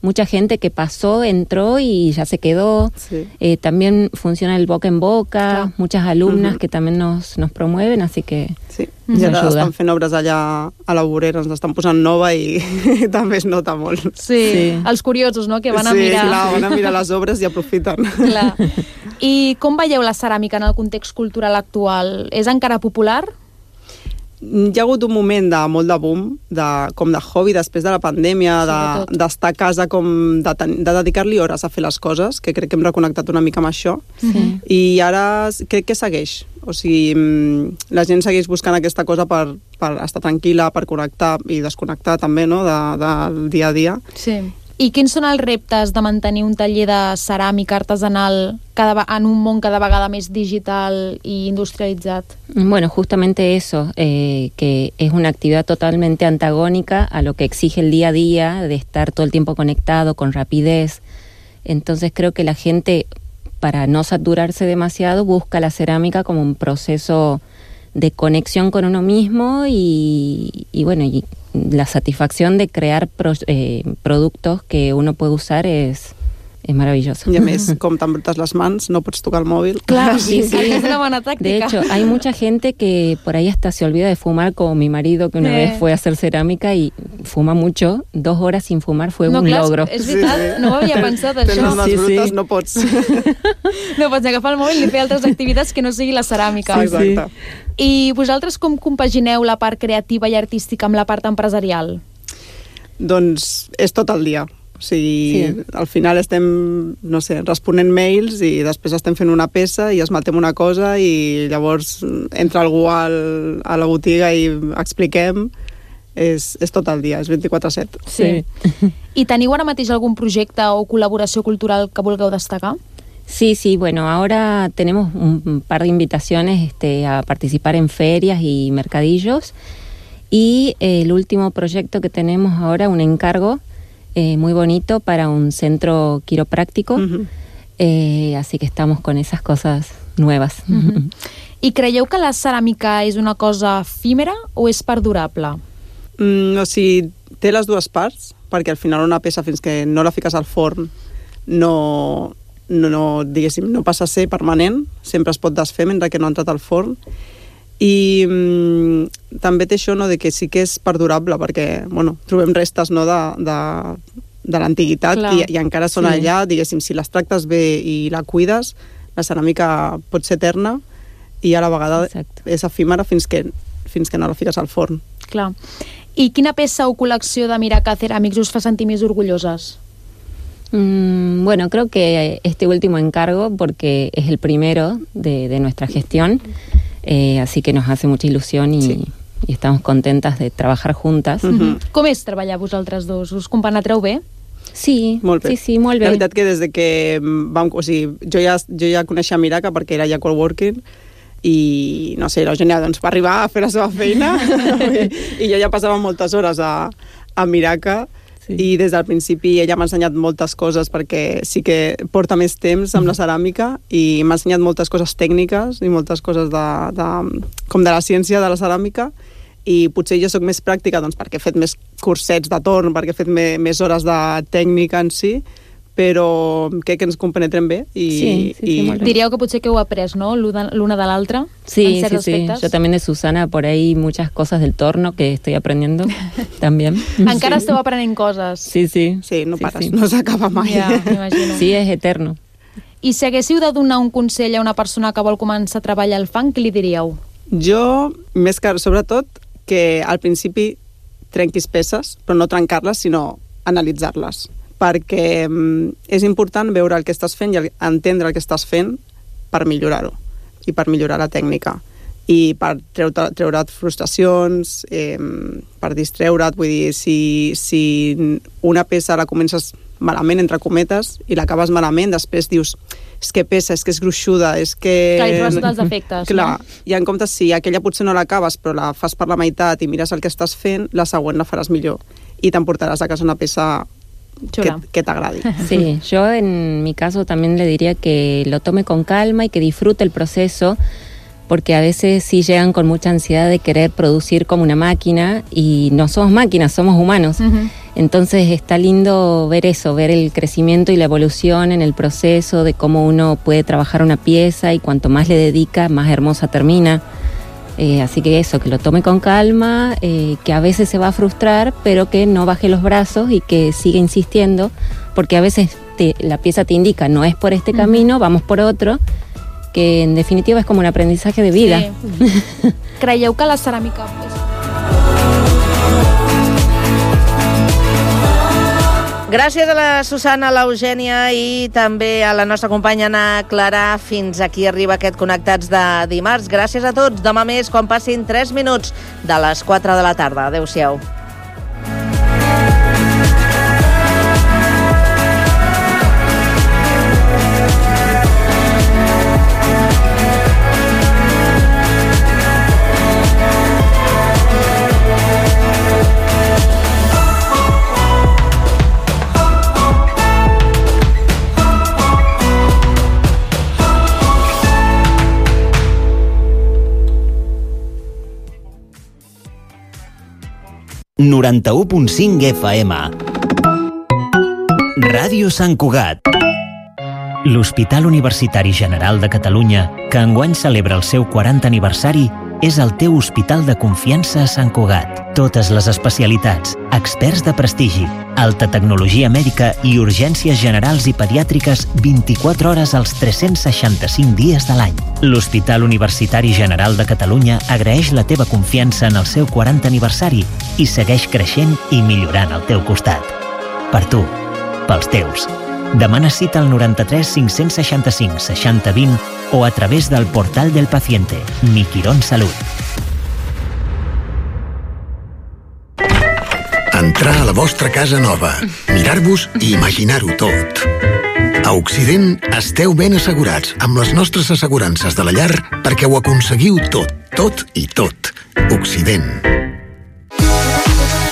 Mucha gente que pasó, entró y ya se quedó. También funciona el boca en boca, muchas alumnas que también nos promueven, así que ja estan fent obres allà a la vorera, ens estan posant nova i també es nota molt. Sí, els curiosos, no?, que van a mirar. Sí, clar, van a mirar les obres i aprofiten. Clar. I com veieu la ceràmica en el context cultural actual? És encara popular? Hi ha hagut un moment de molt de boom, com de hobby després de la pandèmia, d'estar a casa, de dedicar-li hores a fer les coses, que crec que hem reconnectat una mica amb això. I ara crec que segueix. O sigui, la gent segueix buscant aquesta cosa per estar tranquil·la, per connectar i desconnectar també, no?, del dia a dia. Sí. I quins són els reptes de mantenir un taller de ceràmica artesanal en un món cada vegada més digital i industrialitzat? Bueno, justamente eso, que es una actividad totalmente antagónica a lo que exige el día a día, de estar todo el tiempo conectado, con rapidez. Entonces creo que la gente, para no saturarse demasiado, busca la cerámica como un proceso de conexión con uno mismo y la satisfacción de crear productos que uno puede usar es es maravilloso. I a més, com tan brutes las mans, no pots tocar el mòvil. Claro, sí, es una buena táctica. De hecho, hay mucha gente que por ahí hasta se olvida de fumar, como mi marido, que una vez fue a hacer cerámica y fuma mucho. 2 horas sin fumar fue un logro. És veritat, no ho havia pensat, això. Tens les mans brutes, no pots. No pots agafar el mòbil i fer altres activitats que no sigui la ceràmica. Exacte. I vosaltres com compagineu la part creativa i artística amb la part empresarial? Doncs és tot el dia. O sigui, al final estem, no sé, responent mails i després estem fent una peça i esmaltem una cosa i llavors entra algú a la botiga i expliquem. És tot el dia, és 24/7. Sí. I teniu ara mateix algun projecte o col·laboració cultural que vulgueu destacar? Sí, bueno, ahora tenemos un par de invitaciones a participar en ferias y mercadillos, y el último proyecto que tenemos ahora, un encargo muy bonito para un centro quiropráctico, así que estamos con esas cosas nuevas. I creieu que la ceràmica és una cosa efímera o és perdurable? O sigui, té les dues parts, perquè al final una peça, fins que no la fiques al forn, no passa a ser permanent, sempre es pot desfer mentre que no ha entrat al forn. I també té això, no, de que sí que és perdurable, perquè trobem restes, no, de l'antiguitat i encara són allà, diguéssim, si les tractes bé i la cuides, la ceràmica pot ser eterna i a la vegada és efímera fins que no la fiques al forn. Clar. I quina peça o col·lecció de Miraca Ceràmics us fa sentir més orgulloses? Bueno, creo que este último encargo, porque es el primero de nuestra gestión, así que nos hace mucha ilusión y estamos contentas de trabajar juntas. Com és treballar vosaltres dos? Us compenetreu bé? Sí, molt bé. Sí, molt bé. La veritat que des de que jo ja coneixia Miraca perquè era ja coworking i, no sé, l'Eugènia va arribar a fer la seva feina i jo ja passava moltes hores a Miraca i des del principi ella m'ha ensenyat moltes coses perquè sí que porta més temps amb la ceràmica i m'ha ensenyat moltes coses tècniques i moltes coses com de la ciència de la ceràmica i potser jo sóc més pràctica perquè he fet més cursets de torn, perquè he fet més hores de tècnica en si, però crec que ens compenetrem bé. Sí, diríeu que potser que heu après, ¿no? L'una de l'altra, en ciertos aspectos. Yo también de Susana por ahí muchas cosas del torno que estoy aprendiendo también. Encara esteu aprenent coses. Sí, no pares, no s'acaba mai. Ja, m'imagino. Sí, és eterno. I si haguéssiu de donar un consell a una persona que vol començar a treballar al fang, què li diríeu? Jo, més que sobretot, que al principi trenquis peces, però no trencar-les, sinó analitzar-les. Perquè és important veure el que estàs fent i entendre el que estàs fent per millorar-ho i per millorar la tècnica i per treure't frustracions, per distreure't. Vull dir, si una peça la comences malament, entre cometes, i l'acabes malament, després dius, és que pesa, és que és gruixuda, és que... Clar, i trobes tots els efectes. Clar, i en comptes, si aquella potser no l'acabes, però la fas per la meitat i mires el que estàs fent, la següent la faràs millor i t'emportaràs a casa una peça que te agrade. Sí, yo en mi caso también le diría que lo tome con calma y que disfrute el proceso, porque a veces sí llegan con mucha ansiedad de querer producir como una máquina y no somos máquinas, somos humanos. Entonces está lindo ver eso, ver el crecimiento y la evolución en el proceso de cómo uno puede trabajar una pieza y cuanto más le dedica, más hermosa termina. Así que eso, que lo tome con calma, que a veces se va a frustrar, pero que no baje los brazos y que siga insistiendo, porque a veces la pieza te indica, no es por este camino, vamos por otro, que en definitiva es como un aprendizaje de vida. Sí. Creieu que la ceràmica... Gràcies a la Susana, a l'Eugènia i també a la nostra companya Ana Clara. Fins aquí arriba aquest Connectats de dimarts. Gràcies a tots. Demà més, quan passin 3 minuts de les 4 de la tarda. Adéu-siau. .5 FM Ràdio Sant Cugat. L'Hospital Universitari General de Catalunya, que enguany celebra el seu 40 aniversari, és el teu hospital de confiança a Sant Cugat. Totes les especialitats, experts de prestigi, alta tecnologia mèdica i urgències generals i pediàtriques 24 hores als 365 dies de l'any. L'Hospital Universitari General de Catalunya agraeix la teva confiança en el seu 40 aniversari i segueix creixent i millorant al teu costat. Per tu, pels teus. Demana cita al 93 565 60 20 o a través del portal del paciente, Mi Quirón Salut. Entrar a la vostra casa nova, mirar-vos i imaginar-ho tot. A Occident esteu ben assegurats amb les nostres assegurances de la llar perquè ho aconseguiu tot, tot i tot. Occident.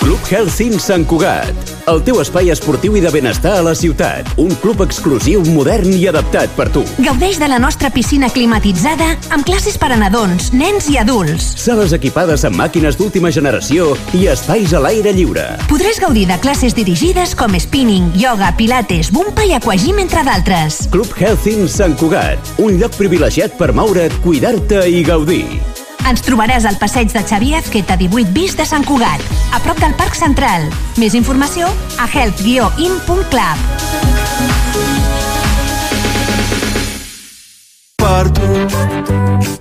Club Healthy Sant Cugat, el teu espai esportiu i de benestar a la ciutat. Un club exclusiu, modern i adaptat per tu. Gaudeix de la nostra piscina climatitzada amb classes per a nadons, nens i adults. Sales equipades amb màquines d'última generació i espais a l'aire lliure. Podràs gaudir de classes dirigides com spinning, yoga, pilates, bumpa i aquagym, entre d'altres. Club Healthy Sant Cugat, un lloc privilegiat per moure't, cuidar-te i gaudir. Ens trobaràs al passeig de Xavier Azqueta 18 bis de Sant Cugat, a prop del Parc Central. Més informació a health-in.club.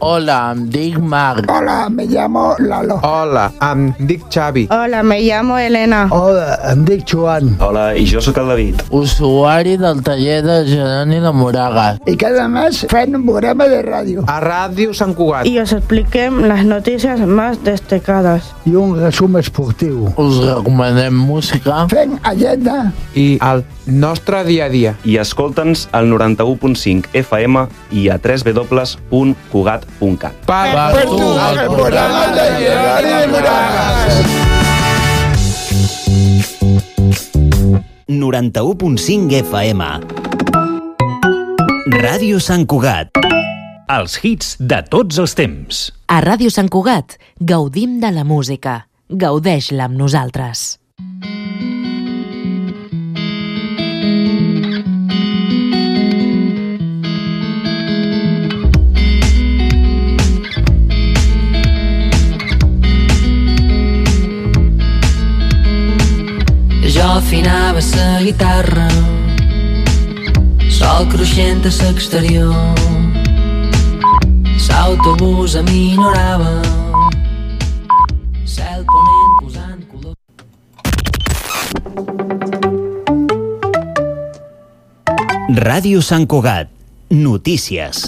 Hola, em dic Marc. Hola, me llamo Lalo. Hola, em dic Xavi. Hola, me llamo Elena. Hola, em dic Joan. Hola, i jo sóc el David. Usuari del taller de Geroni de Moragas. Y cada mes fan un programa de radio. A Ràdio Sant Cugat. Y os expliquem las noticias más destacadas. I un resum esportiu. Us recomanem música. Fem agenda. I el nostre dia a dia. I escolta'ns al 91.5 FM i a www.cugat.cat. Per tu, el programa de Geroni de Moragas. 91.5 FM. Ràdio Sant Cugat. Els hits de tots els temps. A Ràdio Sant Cugat gaudim de la música. Gaudeix-la amb nosaltres. Jo afinava la guitarra, sol cruixent a l'exterior, l'autobús aminorava, cel ponent posant color. Ràdio Sant Cugat. Notícies.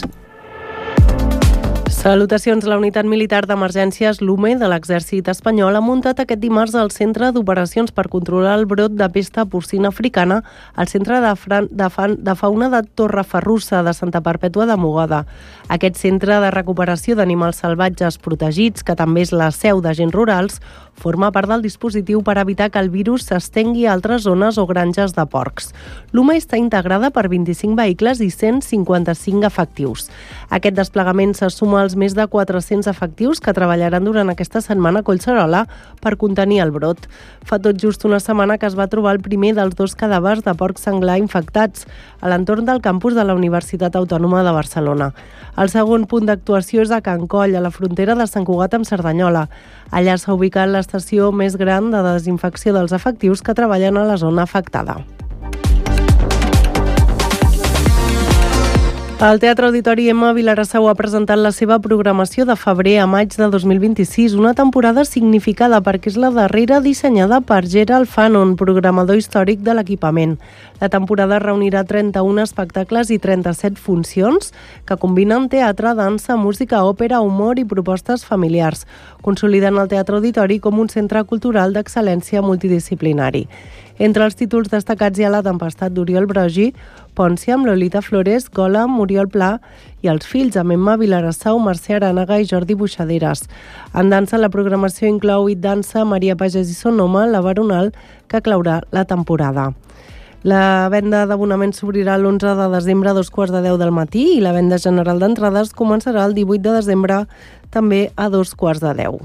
Salutacions. La unitat militar d'emergències LUME de l'exèrcit espanyol ha muntat aquest dimarts el centre d'operacions per controlar el brot de pesta porcina africana al centre de fauna de Torreferrussa de Santa Perpètua de Mogoda. Aquest centre de recuperació d'animals salvatges protegits, que també és la seu d'agents rurals, forma part del dispositiu per evitar que el virus s'estengui a altres zones o granges de porcs. LUME està integrada per 25 vehicles i 155 efectius. Aquest desplegament se suma als més de 400 efectius que treballaran durant aquesta setmana a Collserola per contenir el brot. Fa tot just una setmana que es va trobar el primer dels 2 cadàvers de porc senglar infectats a l'entorn del campus de la Universitat Autònoma de Barcelona. El segon punt d'actuació és a Can Coll, a la frontera de Sant Cugat amb Cerdanyola. Allà s'ha ubicat l'estació més gran de desinfecció dels efectius que treballen a la zona afectada. El Teatre Auditori Emma Vilassau ha presentat la seva programació de febrer a maig de 2026, una temporada significada perquè és la darrera dissenyada per Gerald Fanon, programador històric de l'equipament. La temporada reunirà 31 espectacles i 37 funcions que combinen teatre, dansa, música, òpera, humor i propostes familiars, consolidant el Teatre Auditori com un centre cultural d'excel·lència multidisciplinari. Entre els títols destacats hi ha La tempestat d'Oriol Brogi, Pòncia amb Lolita Flores, Gola amb Oriol Pla i Els fills amb Emma Vilarassau, Mercè Arànega i Jordi Buixaderes. En dansa, la programació inclou It Dansa, Maria Pagès i Sonoma, La Baronal, que claurà la temporada. La venda d'abonaments s'obrirà l'11 de desembre a 2:15 del matí i la venda general d'entrades començarà el 18 de desembre també a 2:15.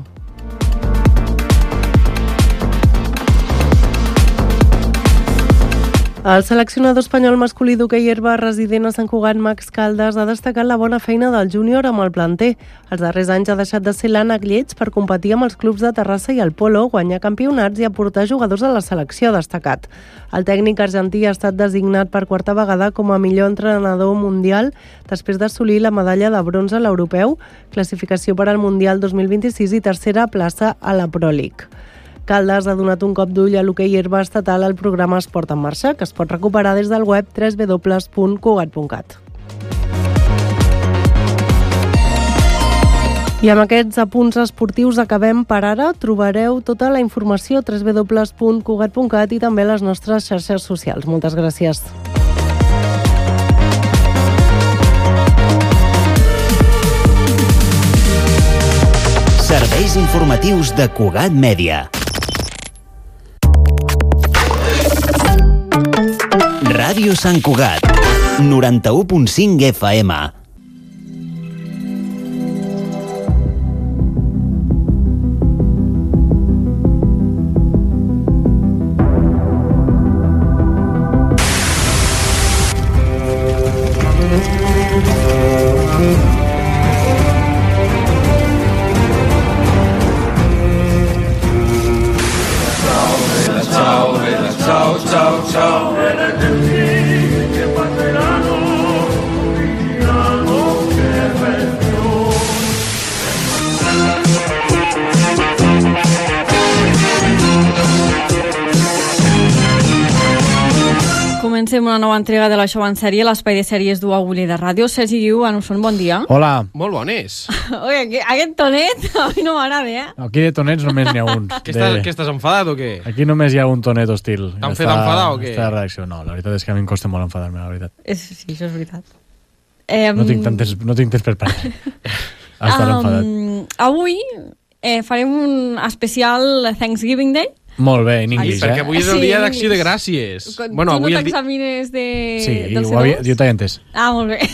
El seleccionador espanyol masculí d'hoquei herba resident a Sant Cugat, Max Caldas, ha destacat la bona feina del júnior amb el planter. Els darrers anys ha deixat de ser l'ànec lleig per competir amb els clubs de Terrassa i el Polo, guanyar campionats i aportar jugadors a la selecció, ha destacat. El tècnic argentí ha estat designat per quarta vegada com a millor entrenador mundial després d'assolir la medalla de bronze a l'europeu, classificació per al Mundial 2026 i tercera plaça a la Pro League. Caldas ha donat un cop d'ull a l'hoquei herba estatal al programa Esport en Marxa, que es pot recuperar des del web www.cugat.cat. I amb aquests apunts esportius acabem per ara. Trobareu tota la informació a www.cugat.cat i també a les nostres xarxes socials. Moltes gràcies. Serveis informatius de Cugat Mèdia. Ràdio Sant Cugat, 91.5 FM. Comencem una nova entrega de la Show en Sèrie, l'espai de sèries d'UAULI de Ràdio. Sergi Guiu, Anusson, bon dia. Hola. Molt bones. Oi, aquest tonet a mi no m'agrada, eh? Aquí de tonets només n'hi ha un. Què estàs enfadat o què? Aquí només hi ha un tonet hostil. T'han fet enfadar o què? Està de reacció. No, la veritat és que a mi em costa molt enfadar-me, la veritat. Sí, això és veritat. No tinc temps per parlar. Estar enfadat. Avui farem un especial Thanksgiving Day. Molt bé, en anglès, perquè avui és el dia d'acció de gràcies. Bueno, tu no t'examines del C2? Jo t'he entès. Molt bé.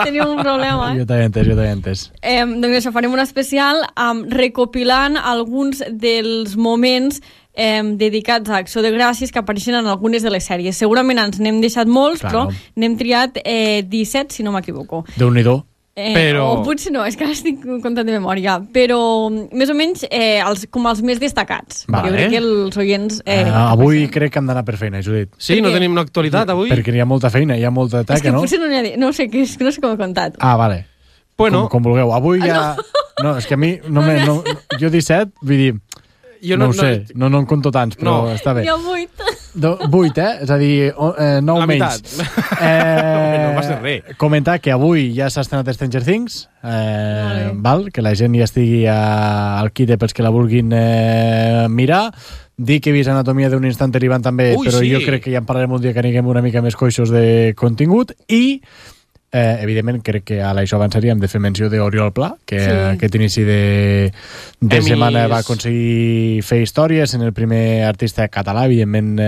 Tenim un problema, Jo t'he entès. Doncs això, farem un especial recopilant alguns dels moments dedicats a Acció de Gràcies que apareixen en algunes de les sèries. Segurament ens n'hem deixat molts, però n'hem triat 17, si no m'equivoco. Déu-n'hi-do. O potser no, és que ara estic comptant de memòria, però més o menys com els més destacats. Jo crec que els oients... Avui crec que hem d'anar per feina, Judit. Sí, no tenim una actualitat avui? Perquè hi ha molta feina, hi ha molta taca, no? És que potser no n'hi ha... No sé, no sé com he contat. Vale. Bueno. Com vulgueu. Avui ja... No, és que a mi... Jo 17, vull dir... No ho sé, no en conto tants, però està bé. Jo 8. 8, És a dir, 9 menys. No va ser res. Comentar que avui ja s'ha estrenat Stranger Things, que la gent ja estigui al quite pels que la vulguin mirar. Dir que he vist Anatomia d'un instant derivant també, però jo crec que ja en parlarem un dia que anirem una mica més coixos de contingut. I evidentment crec que a l'això avançaríem de fer menció d'Oriol Pla, que aquest inici de setmana va aconseguir fer històries, en el primer artista català. Evidentment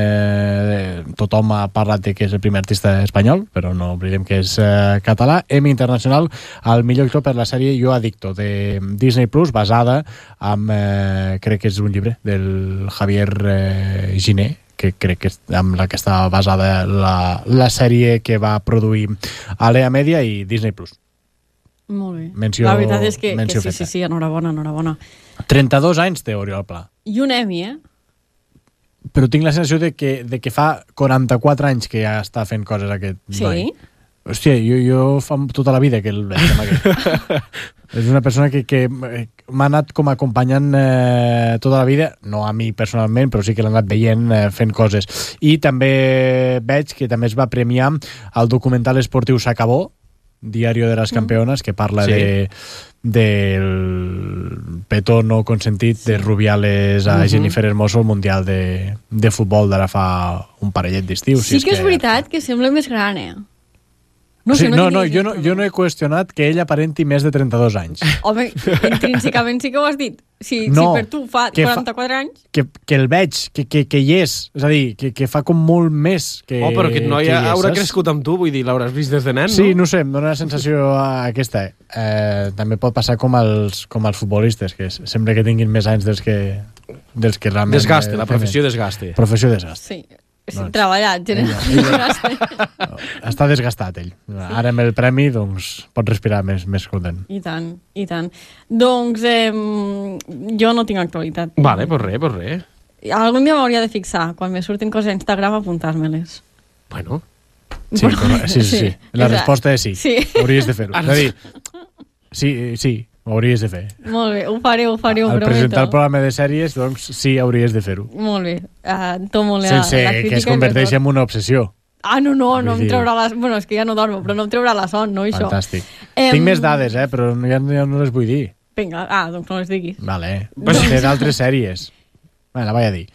tothom ha parlat de que és el primer artista espanyol, però no oblidem que és català. Emmy Internacional al millor actor per la sèrie Jo Adicto, de Disney Plus, basada en crec que és un llibre del Javier Giné, que crec que és amb la que està basada la sèrie que va produir Alea Media i Disney Plus. Molt bé. La veritat és que sí, enhorabona. 32 anys té Oriol Pla. I un Emmy, Però tinc la sensació de que fa 44 anys que ja està fent coses aquest noi. Sí? Hòstia, jo fa tota la vida que el veig. És una persona que m'ha anat com acompanyant tota la vida, no a mi personalment, però sí que l'ha anat veient fent coses. I també veig que també es va premiar el documental esportiu S'acabó, Diario de las Campeonas, que parla del petó no consentit de Rubiales a Jennifer Hermoso al Mundial de Futbol d'ara fa un parellet d'estiu. Sí que és veritat que sembla més gran, Jo no he qüestionat que ell aparenti més de 32 anys. Home, intrínsecament sí que ho has dit. Si per tu fa 44 anys... Que el veig, que hi és. És a dir, que fa com molt més que... però aquest noi haurà crescut amb tu, vull dir, l'hauràs vist des de nen, no? Sí, no sé, em dóna la sensació aquesta. També pot passar com els futbolistes, que sembla que tinguin més anys dels que realment... Desgaste, la professió desgaste. Sí. Treballat, Està desgastat, ell. Ara amb el premi, doncs, pot respirar més content. I tant, i tant. Doncs jo no tinc actualitat. Vale, pues res. Algun dia m'hauria de fixar, quan me surtin coses a Instagram, apuntar-me-les. Bueno. Sí. La resposta és sí. Hauries de fer-ho. És a dir, sí, ho hauries de fer. Molt bé, ho faré, ho prometo. Al presentar el programa de sèries, doncs sí, hauries de fer-ho. Molt bé, tomo la crítica. Sense que es converteixi en una obsessió. No em traurà la... Bueno, és que ja no dormo, però no em traurà la son, no, això. Fantàstic. Tinc més dades, però ja no les vull dir. Vinga, doncs no les diguis. Vale, té d'altres sèries. La vaig a dir.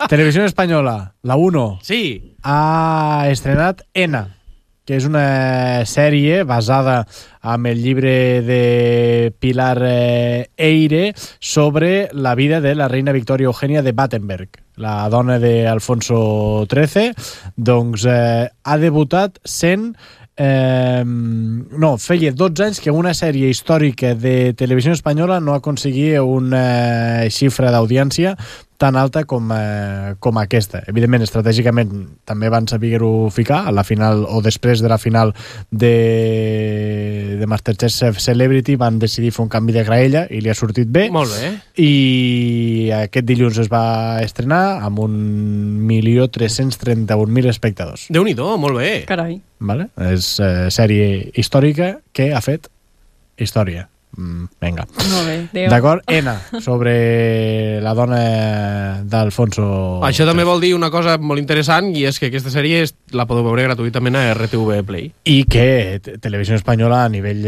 Televisió Espanyola, la 1, ha estrenat Ena, que és una sèrie basada en el llibre de Pilar Eyre sobre la vida de la reina Victoria Eugènia de Battenberg, la dona d'Alfonso XIII. Doncs ha debutat sent... feia 12 anys que una sèrie històrica de televisió espanyola no aconseguia una xifra d'audiència tan alta com aquesta. Evidentment, estratègicament també van saber-ho ficar a la final, o després de la final de Masterchef Celebrity van decidir fer un canvi de graella i li ha sortit bé. Molt bé. I aquest dilluns es va estrenar amb 1.331.000 espectadors. Déu-n'hi-do, molt bé. Carai. Vale? És sèrie històrica que ha fet història. Vinga. Molt bé, Déu. D'acord, Ena, sobre la dona d'Alfonso. Això també vol dir una cosa molt interessant, i és que aquesta sèrie la podeu veure gratuïtament a RTV Play. I que Televisió Espanyola, a nivell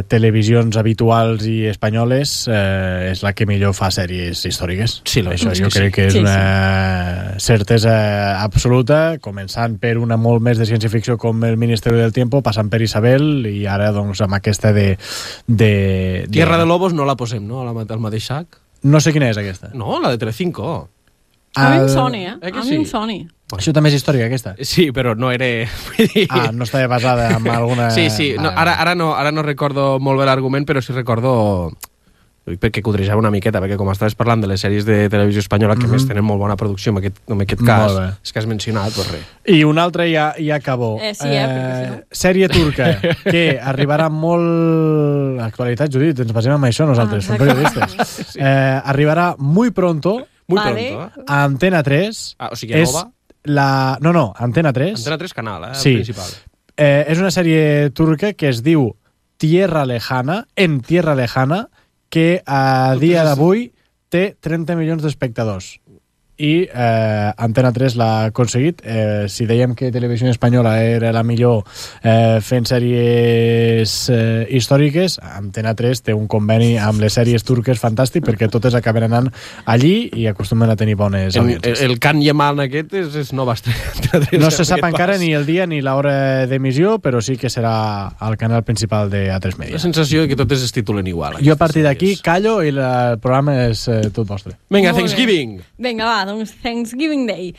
televisions habituals i espanyoles, és la que millor fa sèries històriques. Sí, això jo crec que és una certesa absoluta, començant per una molt més de ciència-ficció com El Ministerio del Tiempo, passant per Isabel, i ara doncs amb aquesta de Tierra de Lobos no la posem, no? Al mateix sac? No sé quina és aquesta. No, la de Telecinco. A mi em soni, A mi em soni. Això també és històrica, aquesta? Sí, però no era... no estava basada en alguna... Sí. No, ara no recordo molt bé l'argument, però sí recordo... perquè codrejava una miqueta, perquè com estaves parlant de les sèries de televisió espanyola, que més tenen molt bona producció en aquest cas, és que has mencionat, doncs res. I un altre ja acabó. Sèrie turca, que arribarà molt... Actualitat, Judit, ens basem en això nosaltres, som periodistes. Arribarà muy pronto a Antena 3. O sigui, nova? No, Antena 3. Antena 3 canal, principal. És una sèrie turca que es diu Tierra Lejana, En Tierra Lejana, que a dia d'avui té 30 milions d'espectadors. I Antena 3 l'ha aconseguit. Si dèiem que Televisió Espanyola era la millor fent sèries històriques, Antena 3 té un conveni amb les sèries turques fantàstic, perquè totes acaben anant allí i acostumen a tenir bones audiències. El Can Yaman aquest és nova estrella. No se sap encara ni el dia ni l'hora d'emissió, però sí que serà al canal principal de A3 Media. La sensació que totes es titulen igual. Jo a partir d'aquí callo i el programa és tot vostre. Vinga, Thanksgiving! Vinga, va, doncs Thanksgiving Day.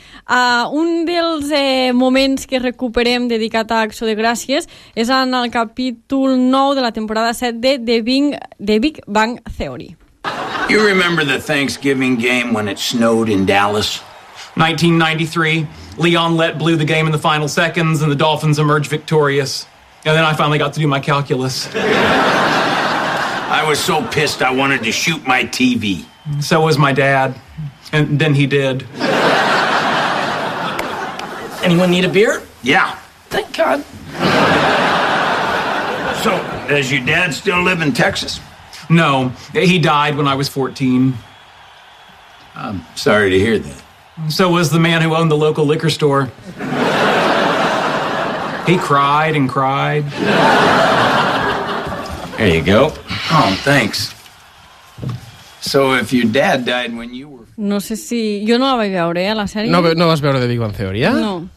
Un dels moments que recuperem dedicat a Acció de Gràcies és en el capítol 9 de la temporada 7 de The Big Bang Theory. You remember the Thanksgiving game when it snowed in Dallas? 1993. Leon Lett blew the game in the final seconds and the Dolphins emerged victorious. And then I finally got to do my calculus. I was so pissed I wanted to shoot my TV. So was my dad. And then he did. Anyone need a beer? Yeah. Thank God. So, does your dad still live in Texas? No. He died when I was 14. I'm sorry to hear that. So was the man who owned the local liquor store. He cried and cried. There you go. Oh, thanks. So if your dad died when you were... No sé si... Jo no la vaig veure, la sèrie. No vas veure The Big Bang Theory, No.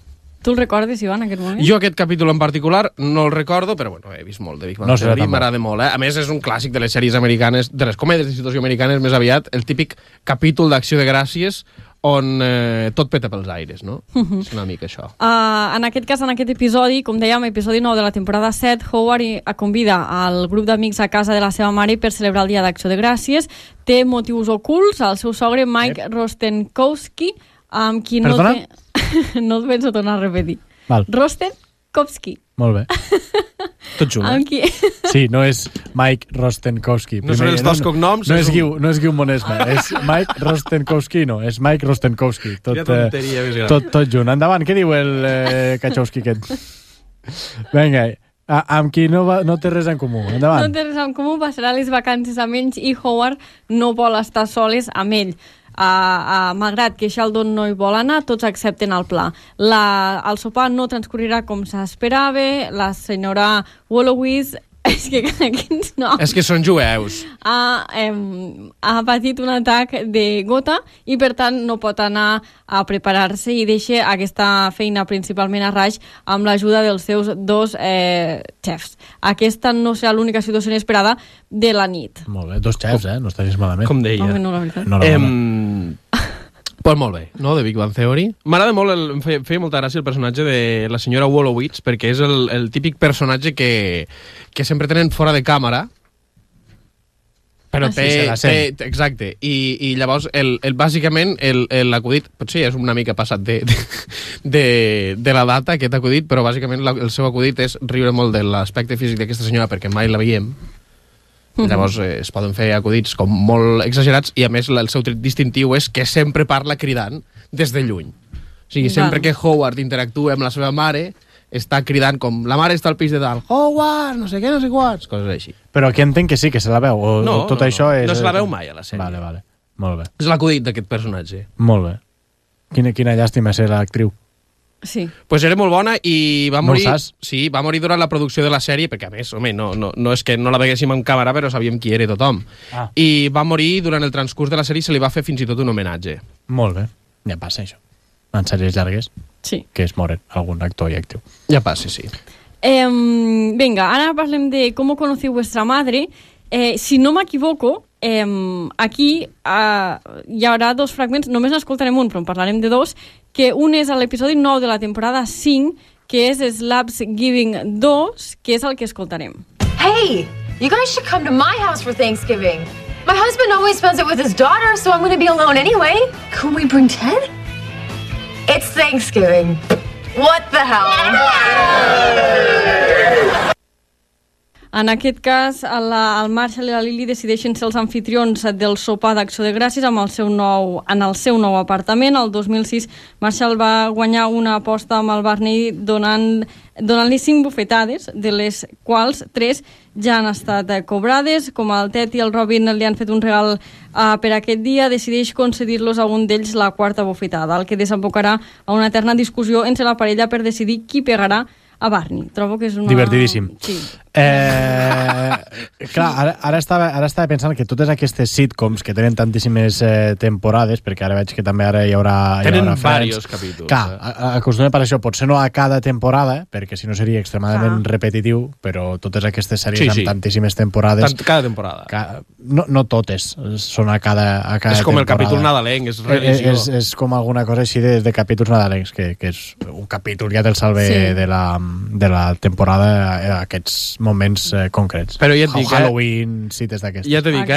Tu el recordes, Ivan, en aquest moment? Jo aquest capítol en particular no el recordo, però bueno, he vist molt de Big Bang Theory, m'agrada molt. A més, és un clàssic de les sèries americanes, de les comèdies de situació americanes més aviat, el típic capítol d'Acció de Gràcies on tot peta pels aires, no? És una mica això. En aquest cas, en aquest episodi, com dèiem, episodi 9 de la temporada 7, Howard convida al grup d'amics a casa de la seva mare per celebrar el Dia d'Acció de Gràcies. Té motius ocults. El seu sogre, Mike Rostenkowski, amb qui Perdona? no et penso tornar a repetir. Val. Rostenkowski. Molt bé. Tot junt, Amb qui... Sí, no és Mike Rostenkowski. No són els dos cognoms. No és Guiu Monesma, és Mike Rostenkowski, no, és Mike Rostenkowski. Quina tonteria més gran. Tot junt. Endavant, què diu el Kachowski aquest? Vinga, amb qui no té res en comú. Endavant. No té res en comú, passarà les vacances amb ells i Howard no vol estar soles amb ell. Malgrat que Sheldon no hi vol anar, tots accepten el pla. El sopar no transcorrerà com s'esperava, la senyora Wolowitz és que quins noms... És que són jueus. Ha patit un atac de gota i per tant no pot anar a preparar-se i deixa aquesta feina principalment a Raj amb l'ajuda dels seus dos xefs. Aquesta no serà l'única situació inesperada de la nit. Molt bé, dos xefs, no estaries malament. Com deia. Home, no, la veritat. Pues molt bé, no?, de Big Bang Theory. M'agrada molt, em feia molta gràcia el personatge de la senyora Wolowitz, perquè és el típic personatge que sempre tenen fora de càmera, però exacte, i llavors bàsicament l'acudit, potser és una mica passat de la data aquest acudit, però bàsicament el seu acudit és riure molt de l'aspecte físic d'aquesta senyora perquè mai la veiem. Llavors es poden fer acudits com molt exagerats i a més el seu tret distintiu és que sempre parla cridant des de lluny. O sigui, sempre que Howard interactua amb la seva mare està cridant com la mare està al pis de dalt, Howard, no sé què, no sé quants, coses així. Però aquí entenc que sí, que se la veu, o tot això és... No se la veu mai a la sèrie. Vale, molt bé. És l'acudit d'aquest personatge. Molt bé. Quina llàstima ser l'actriu. Sí. Pues era molt bona i va morir... No ho saps? Sí, va morir durant la producció de la sèrie, perquè a més, home, no és que no la veguéssim en càmera, però sabíem qui era tothom. I va morir durant el transcurs de la sèrie i se li va fer fins i tot un homenatge. Molt bé. Ja passa això. En sèries llargues. Sí. Que es moren algun actor i actriu. Ja passa, sí. Venga, ara parlem de Com conocí vuestra madre. Si no m'equivoco, aquí hi haurà dos fragments, només n'escoltarem un, però en parlarem de dos, que un és a l'episodi 9 de la temporada 5, que és Slapsgiving 2, que és el que escoltarem. Hey, you guys should come to my house for Thanksgiving. My husband always spends it with his daughter, so I'm going to be alone anyway. Could we bring Ted? It's Thanksgiving. What the hell? En aquest cas, el Marshall i la Lily decideixen ser els anfitrions del sopar d'Acció de Gràcies en el seu nou apartament. El 2006, Marshall va guanyar una aposta amb el Barney donant-li 5 bufetades, de les quals 3 ja han estat cobrades. Com el Ted i el Robin li han fet un regal per aquest dia, decideix concedir-los a un d'ells la 4ª bufetada, el que desembocarà a una eterna discussió entre la parella per decidir qui pegarà a Barney. Trobo que és una... Divertidíssim. Sí. Clar, ara estava pensant que totes aquestes sitcoms que tenen tantíssimes temporades, perquè ara veig que també ara hi haurà tenen diversos capítols. Clar, acostumem per això, potser no a cada temporada, perquè si no seria extremadament repetitiu, però totes aquestes sèries amb tantíssimes temporades... Cada temporada. No totes, són a cada és com temporada. El capítol nadalenc, és religió. És com alguna cosa així de capítols nadalencs, que és un capítol ja te'l salve de la temporada, aquests moments concrets. Però ja et dic, Halloween, cites d'aquestes. Ja t'he dit,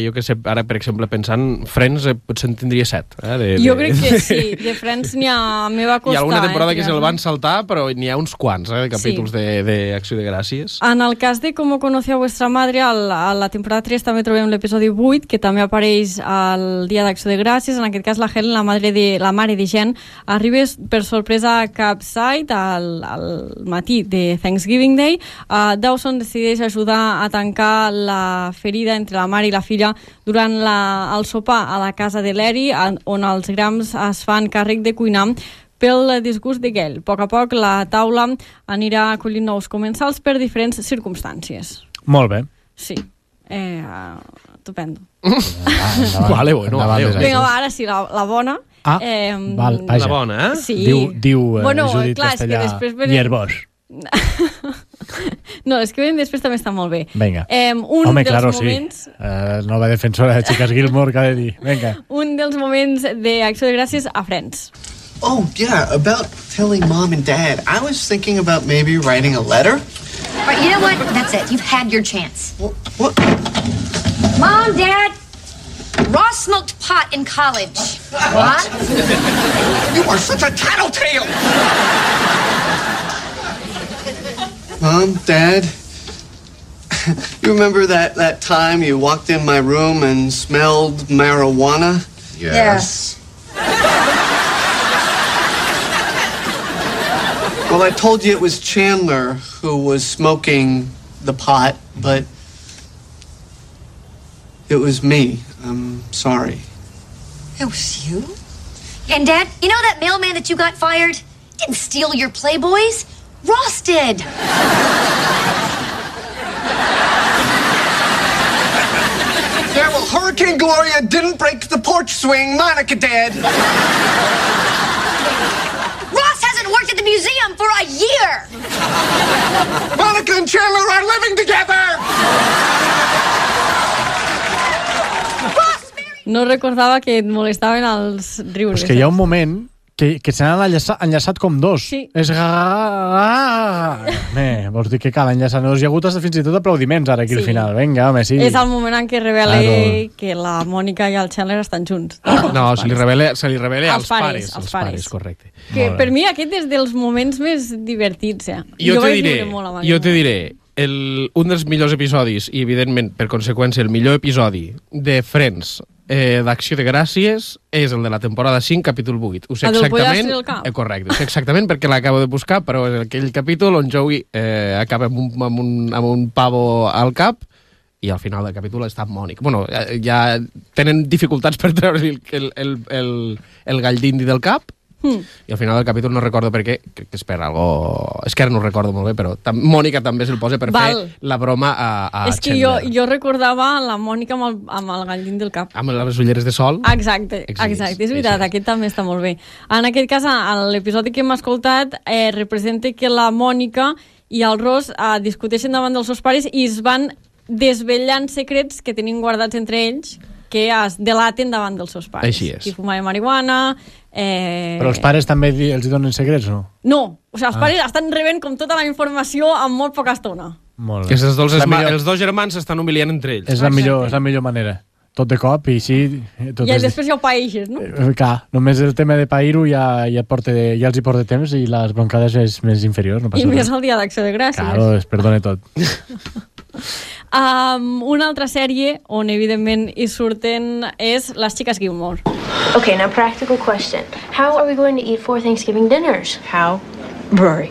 jo que sé, ara per exemple pensant, Friends potser en tindria 7. Jo crec que sí, de Friends n'hi ha... Me va costar. Hi ha alguna temporada que se'l van saltar, però n'hi ha uns quants de capítols d'Acció de Gràcies. En el cas de Com conocí a vuestra madre, a la temporada 3 també trobem l'episodi 8, que també apareix al dia d'Acció de Gràcies. En aquest cas la Helen, la mare de Jen, arriba per sorpresa a Capside al matí de Thanksgiving Day. Dawson decideix ajudar a tancar la ferida entre la mare i la filla durant el sopar a la casa de Larry, on els Grams es fan càrrec de cuinar pel disgust de Gail. A poc la taula anirà acollint nous comensals per diferents circumstàncies. Molt bé. Sí. Estupendo. Vale, bueno. Vinga, ara sí, la bona. Val, vaja. La bona, eh? Sí. Diu bueno, Judit clar, Castellà, Hierbós. No, és que ven després també està molt bé. Venga. Home, claro, moments... sí. Nova defensora de Chicas Gilmore, que ha de dir. Venga. Un dels moments d'Acció de Gràcies a Friends. Oh, yeah, about telling Mom and Dad. I was thinking about maybe writing a letter. All right, you know what? That's it. You've had your chance. What? Mom, Dad, Ross smoked pot in college. What? You are such a tattletale! Mom, Dad, you remember that time you walked in my room and smelled marijuana? Yes. Well, I told you it was Chandler who was smoking the pot, but it was me. I'm sorry. It was you? And Dad, you know that mailman that you got fired? Didn't steal your Playboys. Ross did. Yeah, well, Hurricane Gloria didn't break the porch swing. Monica did. Ross hasn't worked at the museum for a year. Monica and Chandler are living together. No recordava que et molestaven els riures. És que hi ha un moment que se n'han enllaçat com dos. Sí. És... vols dir que cal enllaçar dos? Hi ha hagut fins i tot aplaudiments ara aquí al final. Vinga, home, sí. És el moment en què revela que la Mònica i el Chandler estan junts. No, se li revela als pares. Als pares, correcte. Que per mi aquest és dels moments més divertits. Jo te diré, un dels millors episodis, i evidentment, per conseqüència, el millor episodi de Friends d'Acció de Gràcies és el de la temporada 5, capítol 8. Ho sé exactament. Correcte, ho sé exactament perquè l'acabo de buscar, però és aquell capítol on Joey acaba amb un pavo al cap i al final del capítol està Mònica. Bueno, ja tenen dificultats per treure el gall d'indi del cap, i al final del capítol no recordo per què, crec que és per algo... És que ara no ho recordo molt bé, però Mònica també se'l posa per fer la broma a és que jo recordava la Mònica amb el gall del cap. Amb les ulleres de sol. Exacte, és veritat, aquest també està molt bé. En aquest cas, l'episodi que hem escoltat representa que la Mònica i el Ross discuteixen davant dels seus pares i es van desvetllant secrets que tenien guardats entre ells que es delaten davant dels seus pares. Així és. Qui fumava marihuana... Però els pares també els donen secrets, no? No, o sigui, els pares estan rebent com tota la informació en molt poca estona. Molt bé. Que els dos germans s'estan humiliant entre ells. És la millor manera. Tot de cop i així... I després ja ho paeixes, no? Clar, només el tema de pair-ho ja els hi porta temps i les broncades és més inferior. No I més el dia d'Acció de Gràcies. Claro, es perdona tot. Una altra sèrie on evidentment hi surten és Les Xiques Gilmore. Okay, now practical question. How are we going to eat 4 Thanksgiving dinners? How? Rory,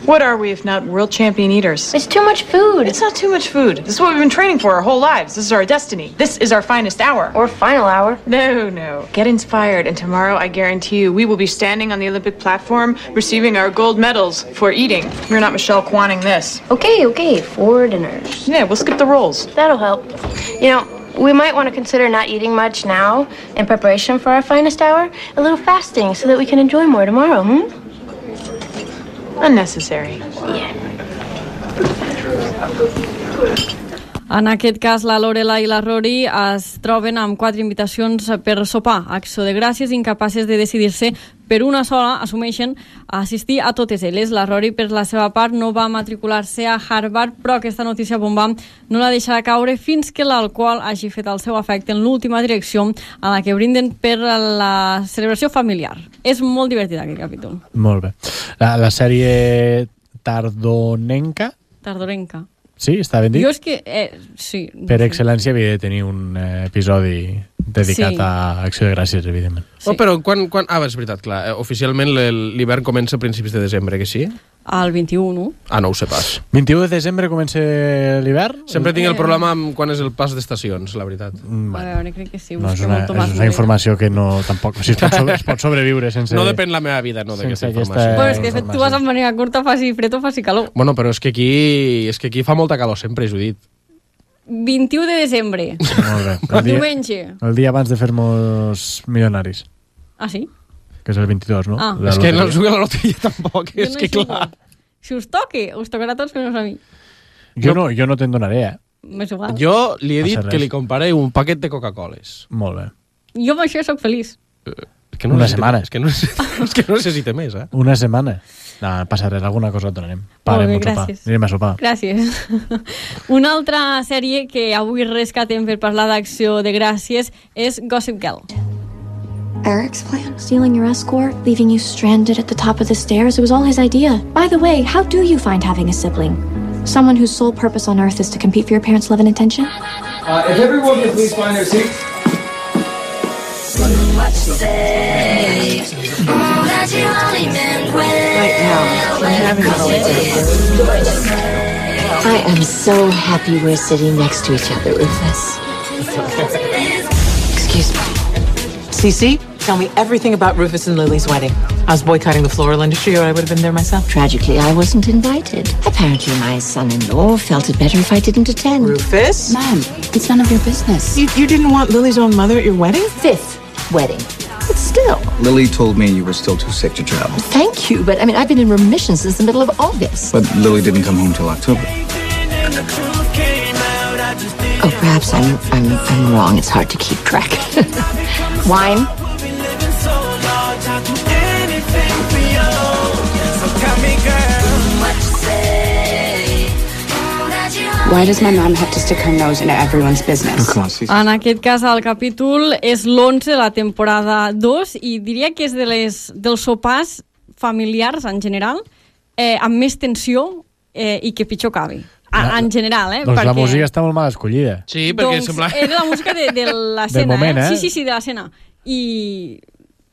what are we if not world champion eaters? It's too much food. It's not too much food. This is what we've been training for our whole lives. This is our destiny. This is our finest hour. Or final hour. No. Get inspired, and tomorrow I guarantee you we will be standing on the Olympic platform receiving our gold medals for eating. We're not Michelle Kwanning this. Okay, 4 dinners. Yeah, we'll skip the rolls. That'll help. You know, we might want to consider not eating much now in preparation for our finest hour. A little fasting so that we can enjoy more tomorrow, Unnecessary. Yeah. En aquest cas, la Lorelai i la Rory es troben amb 4 invitacions per sopar a Acció de Gràcies, incapaces de decidir-se per una sola, assumeixen assistir a totes elles. La Rory, per la seva part, no va matricular-se a Harvard, però aquesta notícia bomba no la deixarà caure fins que l'alcohol hagi fet el seu efecte en l'última direcció a la que brinden per la celebració familiar. És molt divertit aquest capítol. Molt bé. La sèrie Tardorenca? Tardorenca. Sí, està ben dit? Jo és que... sí. Per excel·lència havia de tenir un episodi dedicat a Acció de Gràcies, evidentment. Sí. Però quan... és veritat, clar. Oficialment l'hivern comença a principis de desembre, que sí? Al 21. No ho sé pas. 21 de desembre comença l'hivern? Sempre tinc el problema amb quan és el pas d'estacions, la veritat. A veure, crec que sí. No, és una informació que no... Tampoc... O sigui, es pot sobreviure sense... No depèn la meva vida, no, d'aquesta informació. Però és que tu vas amb manera curta, faci fred o faci calor. Bueno, però és que aquí fa molta calor sempre, Judit. 21 de desembre. Molt bé. Diumenge. El dia abans de fer-nos milionaris. Ah, sí? Que és el 22, no? Ah. És que no jugué a la loteria tampoc, és que clar. Si us tocarà a tots menys a mi. Jo no te'n donaré, M'és igual. Jo li he dit que li compraré un paquet de Coca-Coles. Molt bé. Jo amb això soc feliç. Una setmana. És que no necessita més, Una setmana. No, passa res, alguna cosa et donarem. Molt bé, gràcies. Anirem a sopar. Gràcies. Una altra sèrie que avui rescatem per parlar d'Acció de Gràcies és Gossip Girl. Eric's plan? Stealing your escort, leaving you stranded at the top of the stairs? It was all his idea. By the way, how do you find having a sibling? Someone whose sole purpose on earth is to compete for your parents' love and attention? If everyone could please find their seats. Right now, I'm having a I am so happy we're sitting next to each other, Rufus. Excuse me. Cece, tell me everything about Rufus and Lily's wedding. I was boycotting the floral industry, or I would have been there myself. Tragically, I wasn't invited. Apparently, my son-in-law felt it better if I didn't attend. Rufus? Ma'am, it's none of your business. You didn't want Lily's own mother at your wedding? 5th wedding. But still. Lily told me you were still too sick to travel. Thank you, but I've been in remission since the middle of August. But Lily didn't come home till October. Oh, perhaps I'm wrong. It's hard to keep track. Wine? Why does my mom have to stick her nose into everyone's business? En aquest cas, el capítol és l'11 de la temporada 2 i diria que és dels sopars familiars en general amb més tensió i que pitjor cabi. En general, Doncs perquè... la música està molt mal escollida. Sí, perquè doncs sembla... Era la música de l'escena, del moment, Sí, de l'escena. I...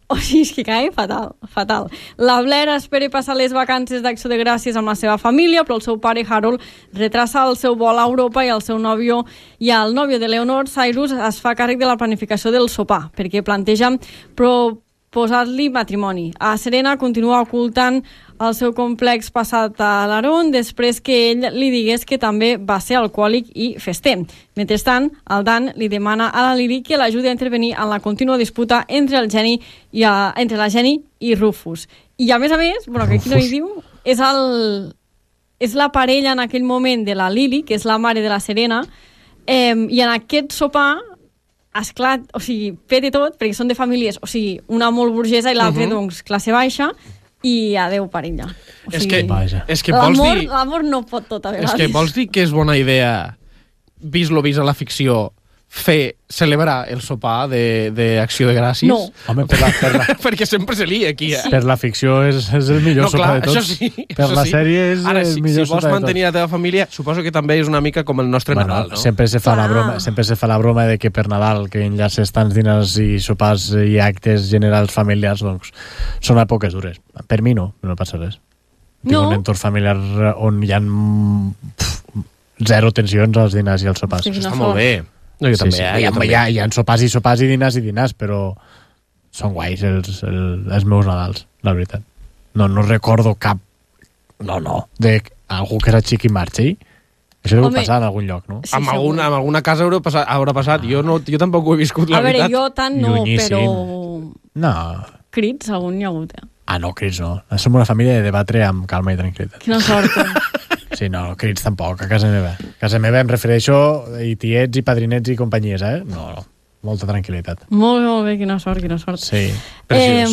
O sigui, és que cae fatal. La Blair espera passar les vacances d'Acció de Gràcies amb la seva família, però el seu pare Harold retrasa el seu vol a Europa i el seu nòvio i el nòvio de Leonor, Cyrus, es fa càrrec de la planificació del sopar, perquè planteja proposar-li matrimoni. A Serena continua ocultant el seu complex passat a l'Aaron després que ell li digués que també va ser alcohòlic i fester. Mentrestant, el Dan li demana a la Lily que l'ajudi a intervenir en la contínua disputa entre la Jenny i Rufus. I a més, bueno, que aquí no hi diu, és la parella en aquell moment de la Lily, que és la mare de la Serena, i en aquest sopar esclat, o sigui, pete tot, perquè són de famílies, o sigui, una molt burgesa i l'altra, doncs, classe baixa, i adeu parella. O sigui, és que vols dir... L'amor no pot tot a vegades. És que vols dir que és bona idea, vist lo vist a la ficció, celebrar el sopar d'Acció de Gràcies? No. Home, perquè sempre se lia aquí. Per la ficció és el millor sopar de tots. Per la sèrie és el millor sopar de tots. Si vols mantenir la teva família, suposo que també és una mica com el nostre Nadal, no? Sempre se fa la broma de que per Nadal, que enllaces tants diners i sopars i actes generals familiars, doncs són èpoques dures. Per mi no passa res. Tinc un entorn familiar on hi ha zero tensions als dinars i als sopars. Això està molt bé. No, jo també, hi ha sopars i dinars, però són guais els meus Nadals, la veritat. No recordo cap d'algú que era xic i marxi. Això deu passar en algun lloc, no? Sí, amb alguna casa haurà passat. Jo tampoc ho he viscut, la veritat. A veure, jo tant no, però... No. Crits, algun hi ha hagut, no, crits no. Som una família de debatre amb calma i tranquil·litat. Quina sort. Sí, no, crits tampoc, a casa meva. A casa meva em refereixo a tiets i padrinets i companyies, No, molta tranquil·litat. Molt bé, quina sort. Sí, preciós.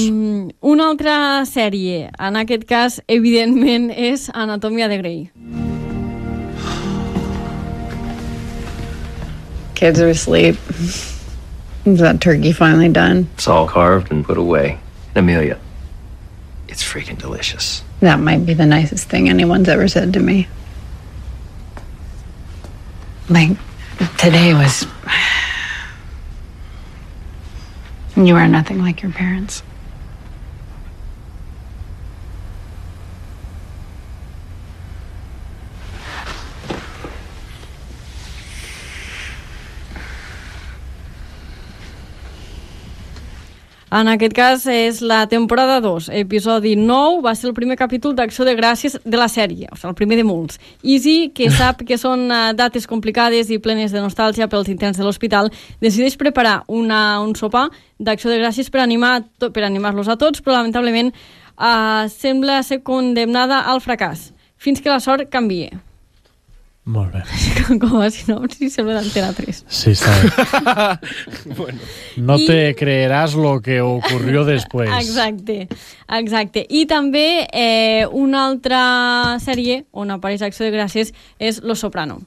Una altra sèrie, en aquest cas, evidentment, és Anatomia de Grey. Kids are asleep. Is that turkey finally done? It's all carved and put away. And Amelia, it's freaking delicious. That might be the nicest thing anyone's ever said to me. Like, today was... You are nothing like your parents. En aquest cas és la temporada 2, episodi 9, va ser el primer capítol d'Acció de Gràcies de la sèrie, o sigui, el primer de molts. Easy, que sap que són dates complicades i plenes de nostàlgia pels interns de l'hospital, decideix preparar un sopar d'Acció de Gràcies per animar-los a tots, però lamentablement sembla ser condemnada al fracàs, fins que la sort canvia. Molt bé. Com a sinopsi sembla d'Antena 3. Sí, està bé. Bueno. No te creerás lo que ocurrió después. Exacte. I també una altra sèrie on apareix Acció de Gràcies és Los Soprano.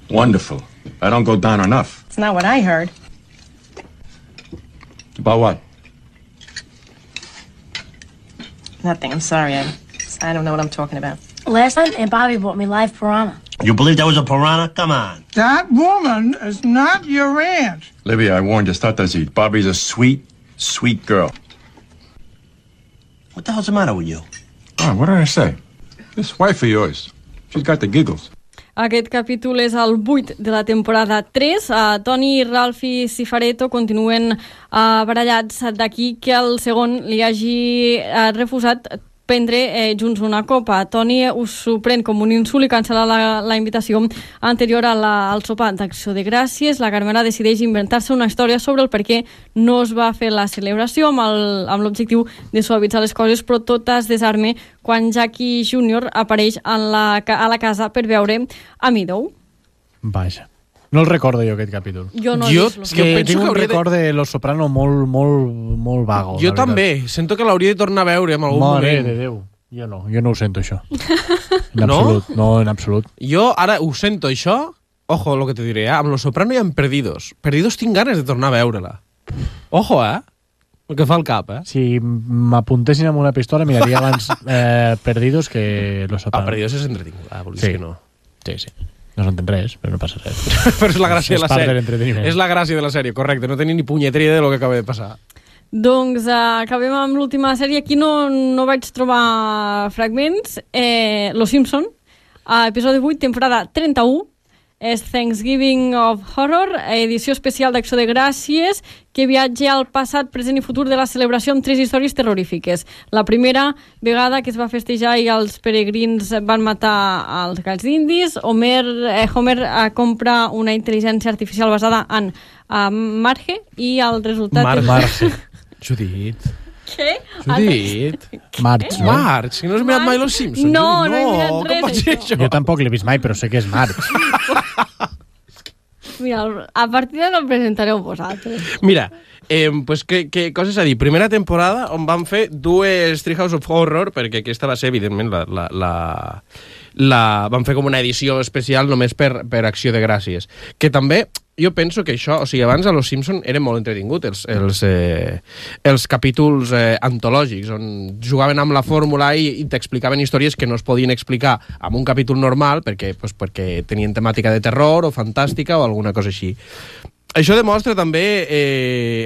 Wonderful. I don't go down enough. It's not what I heard. About what? Nothing. I'm sorry. I don't know what I'm talking about. Last night, Aunt Bobby bought me live piranha. You believe that was a piranha? Come on. That woman is not your aunt. Libby, I warned you, start to eat. Bobby's a sweet, sweet girl. What the hell's the matter with you? Oh, what did I say? This wife of yours, she's got the giggles. Aquest capítol és el 8 de la temporada 3. Tony, Ralph i Cifaretto continuen barallats d'aquí que el segon li hagi refusat prendre junts una copa. Tony s'ho pren com un insult i cancel·la la invitació anterior al sopar d'acció de gràcies. La Carmela decideix inventar-se una història sobre el per què no es va fer la celebració amb l'objectiu de suavitzar les coses, però tot es desarme quan Jackie Jr. apareix a la casa per veure a Meadow. Vaja. No el recordo jo, aquest capítol. Jo no. Jo tinc un record de Los Soprano molt vago. Jo també. Sento que l'hauria de tornar a veure en algun moment. Mare de Déu. Jo no ho sento, això. En absolut. No, en absolut. Jo ara ho sento, això. Ojo, lo que te diré, amb Los Soprano i amb Perdidos. Perdidos tinc ganes de tornar a veure-la. Ojo, el que fa el cap, Si m'apuntessin amb una pistola, miraria abans Perdidos que Los Soprano. Perdidos és entretinguda, vols dir que no. Sí. No s'entén res, però no passa res. Però és la gràcia de la sèrie. De és la gràcia de la sèrie, correcte. No tenir ni punyetera idea de lo que acaba de passar. Doncs acabem amb l'última sèrie. Aquí no vaig trobar fragments. Los Simpson, episodi 8, temporada 31. És Thanksgiving of Horror, edició especial d'Acció de Gràcies, que viatja al passat, present i futur de la celebració amb 3 històries terrorífiques. La primera vegada que es va festejar i els peregrins van matar els galls d'indis, Homer compra una intel·ligència artificial basada en Marge i el resultat... Marge. Judit. Què? Judit. Marge, no? Marge, que no has mirat mai Los Simpsons. No he mirat res d'això. Jo tampoc l'he vist mai, però sé que és Marge. Mira, a partir d'ara el presentareu vosaltres. Mira, pues què coses a dir? Primera temporada on van fer 2 Treehouse of Horror, perquè aquesta va ser, evidentment, van fer com una edició especial només per Acció de Gràcies. Que també, jo penso que això, o sigui, abans a Los Simpson era molt entretingut, els capítols antològics, on jugaven amb la fórmula i t'explicaven històries que no es podien explicar amb un capítol normal, perquè tenien temàtica de terror o fantàstica o alguna cosa així. Això demostra també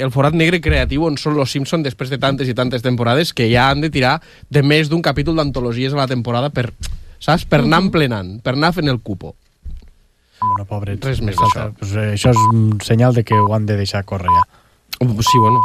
el forat negre creatiu on són Los Simpson després de tantes i tantes temporades que ja han de tirar de més d'un capítol d'antologies a la temporada per anar emplenant, per anar fent el cupo. Bueno, pobre, res més d'això. Pues això és un senyal de que ho han de deixar córrer ja. Sí, bueno.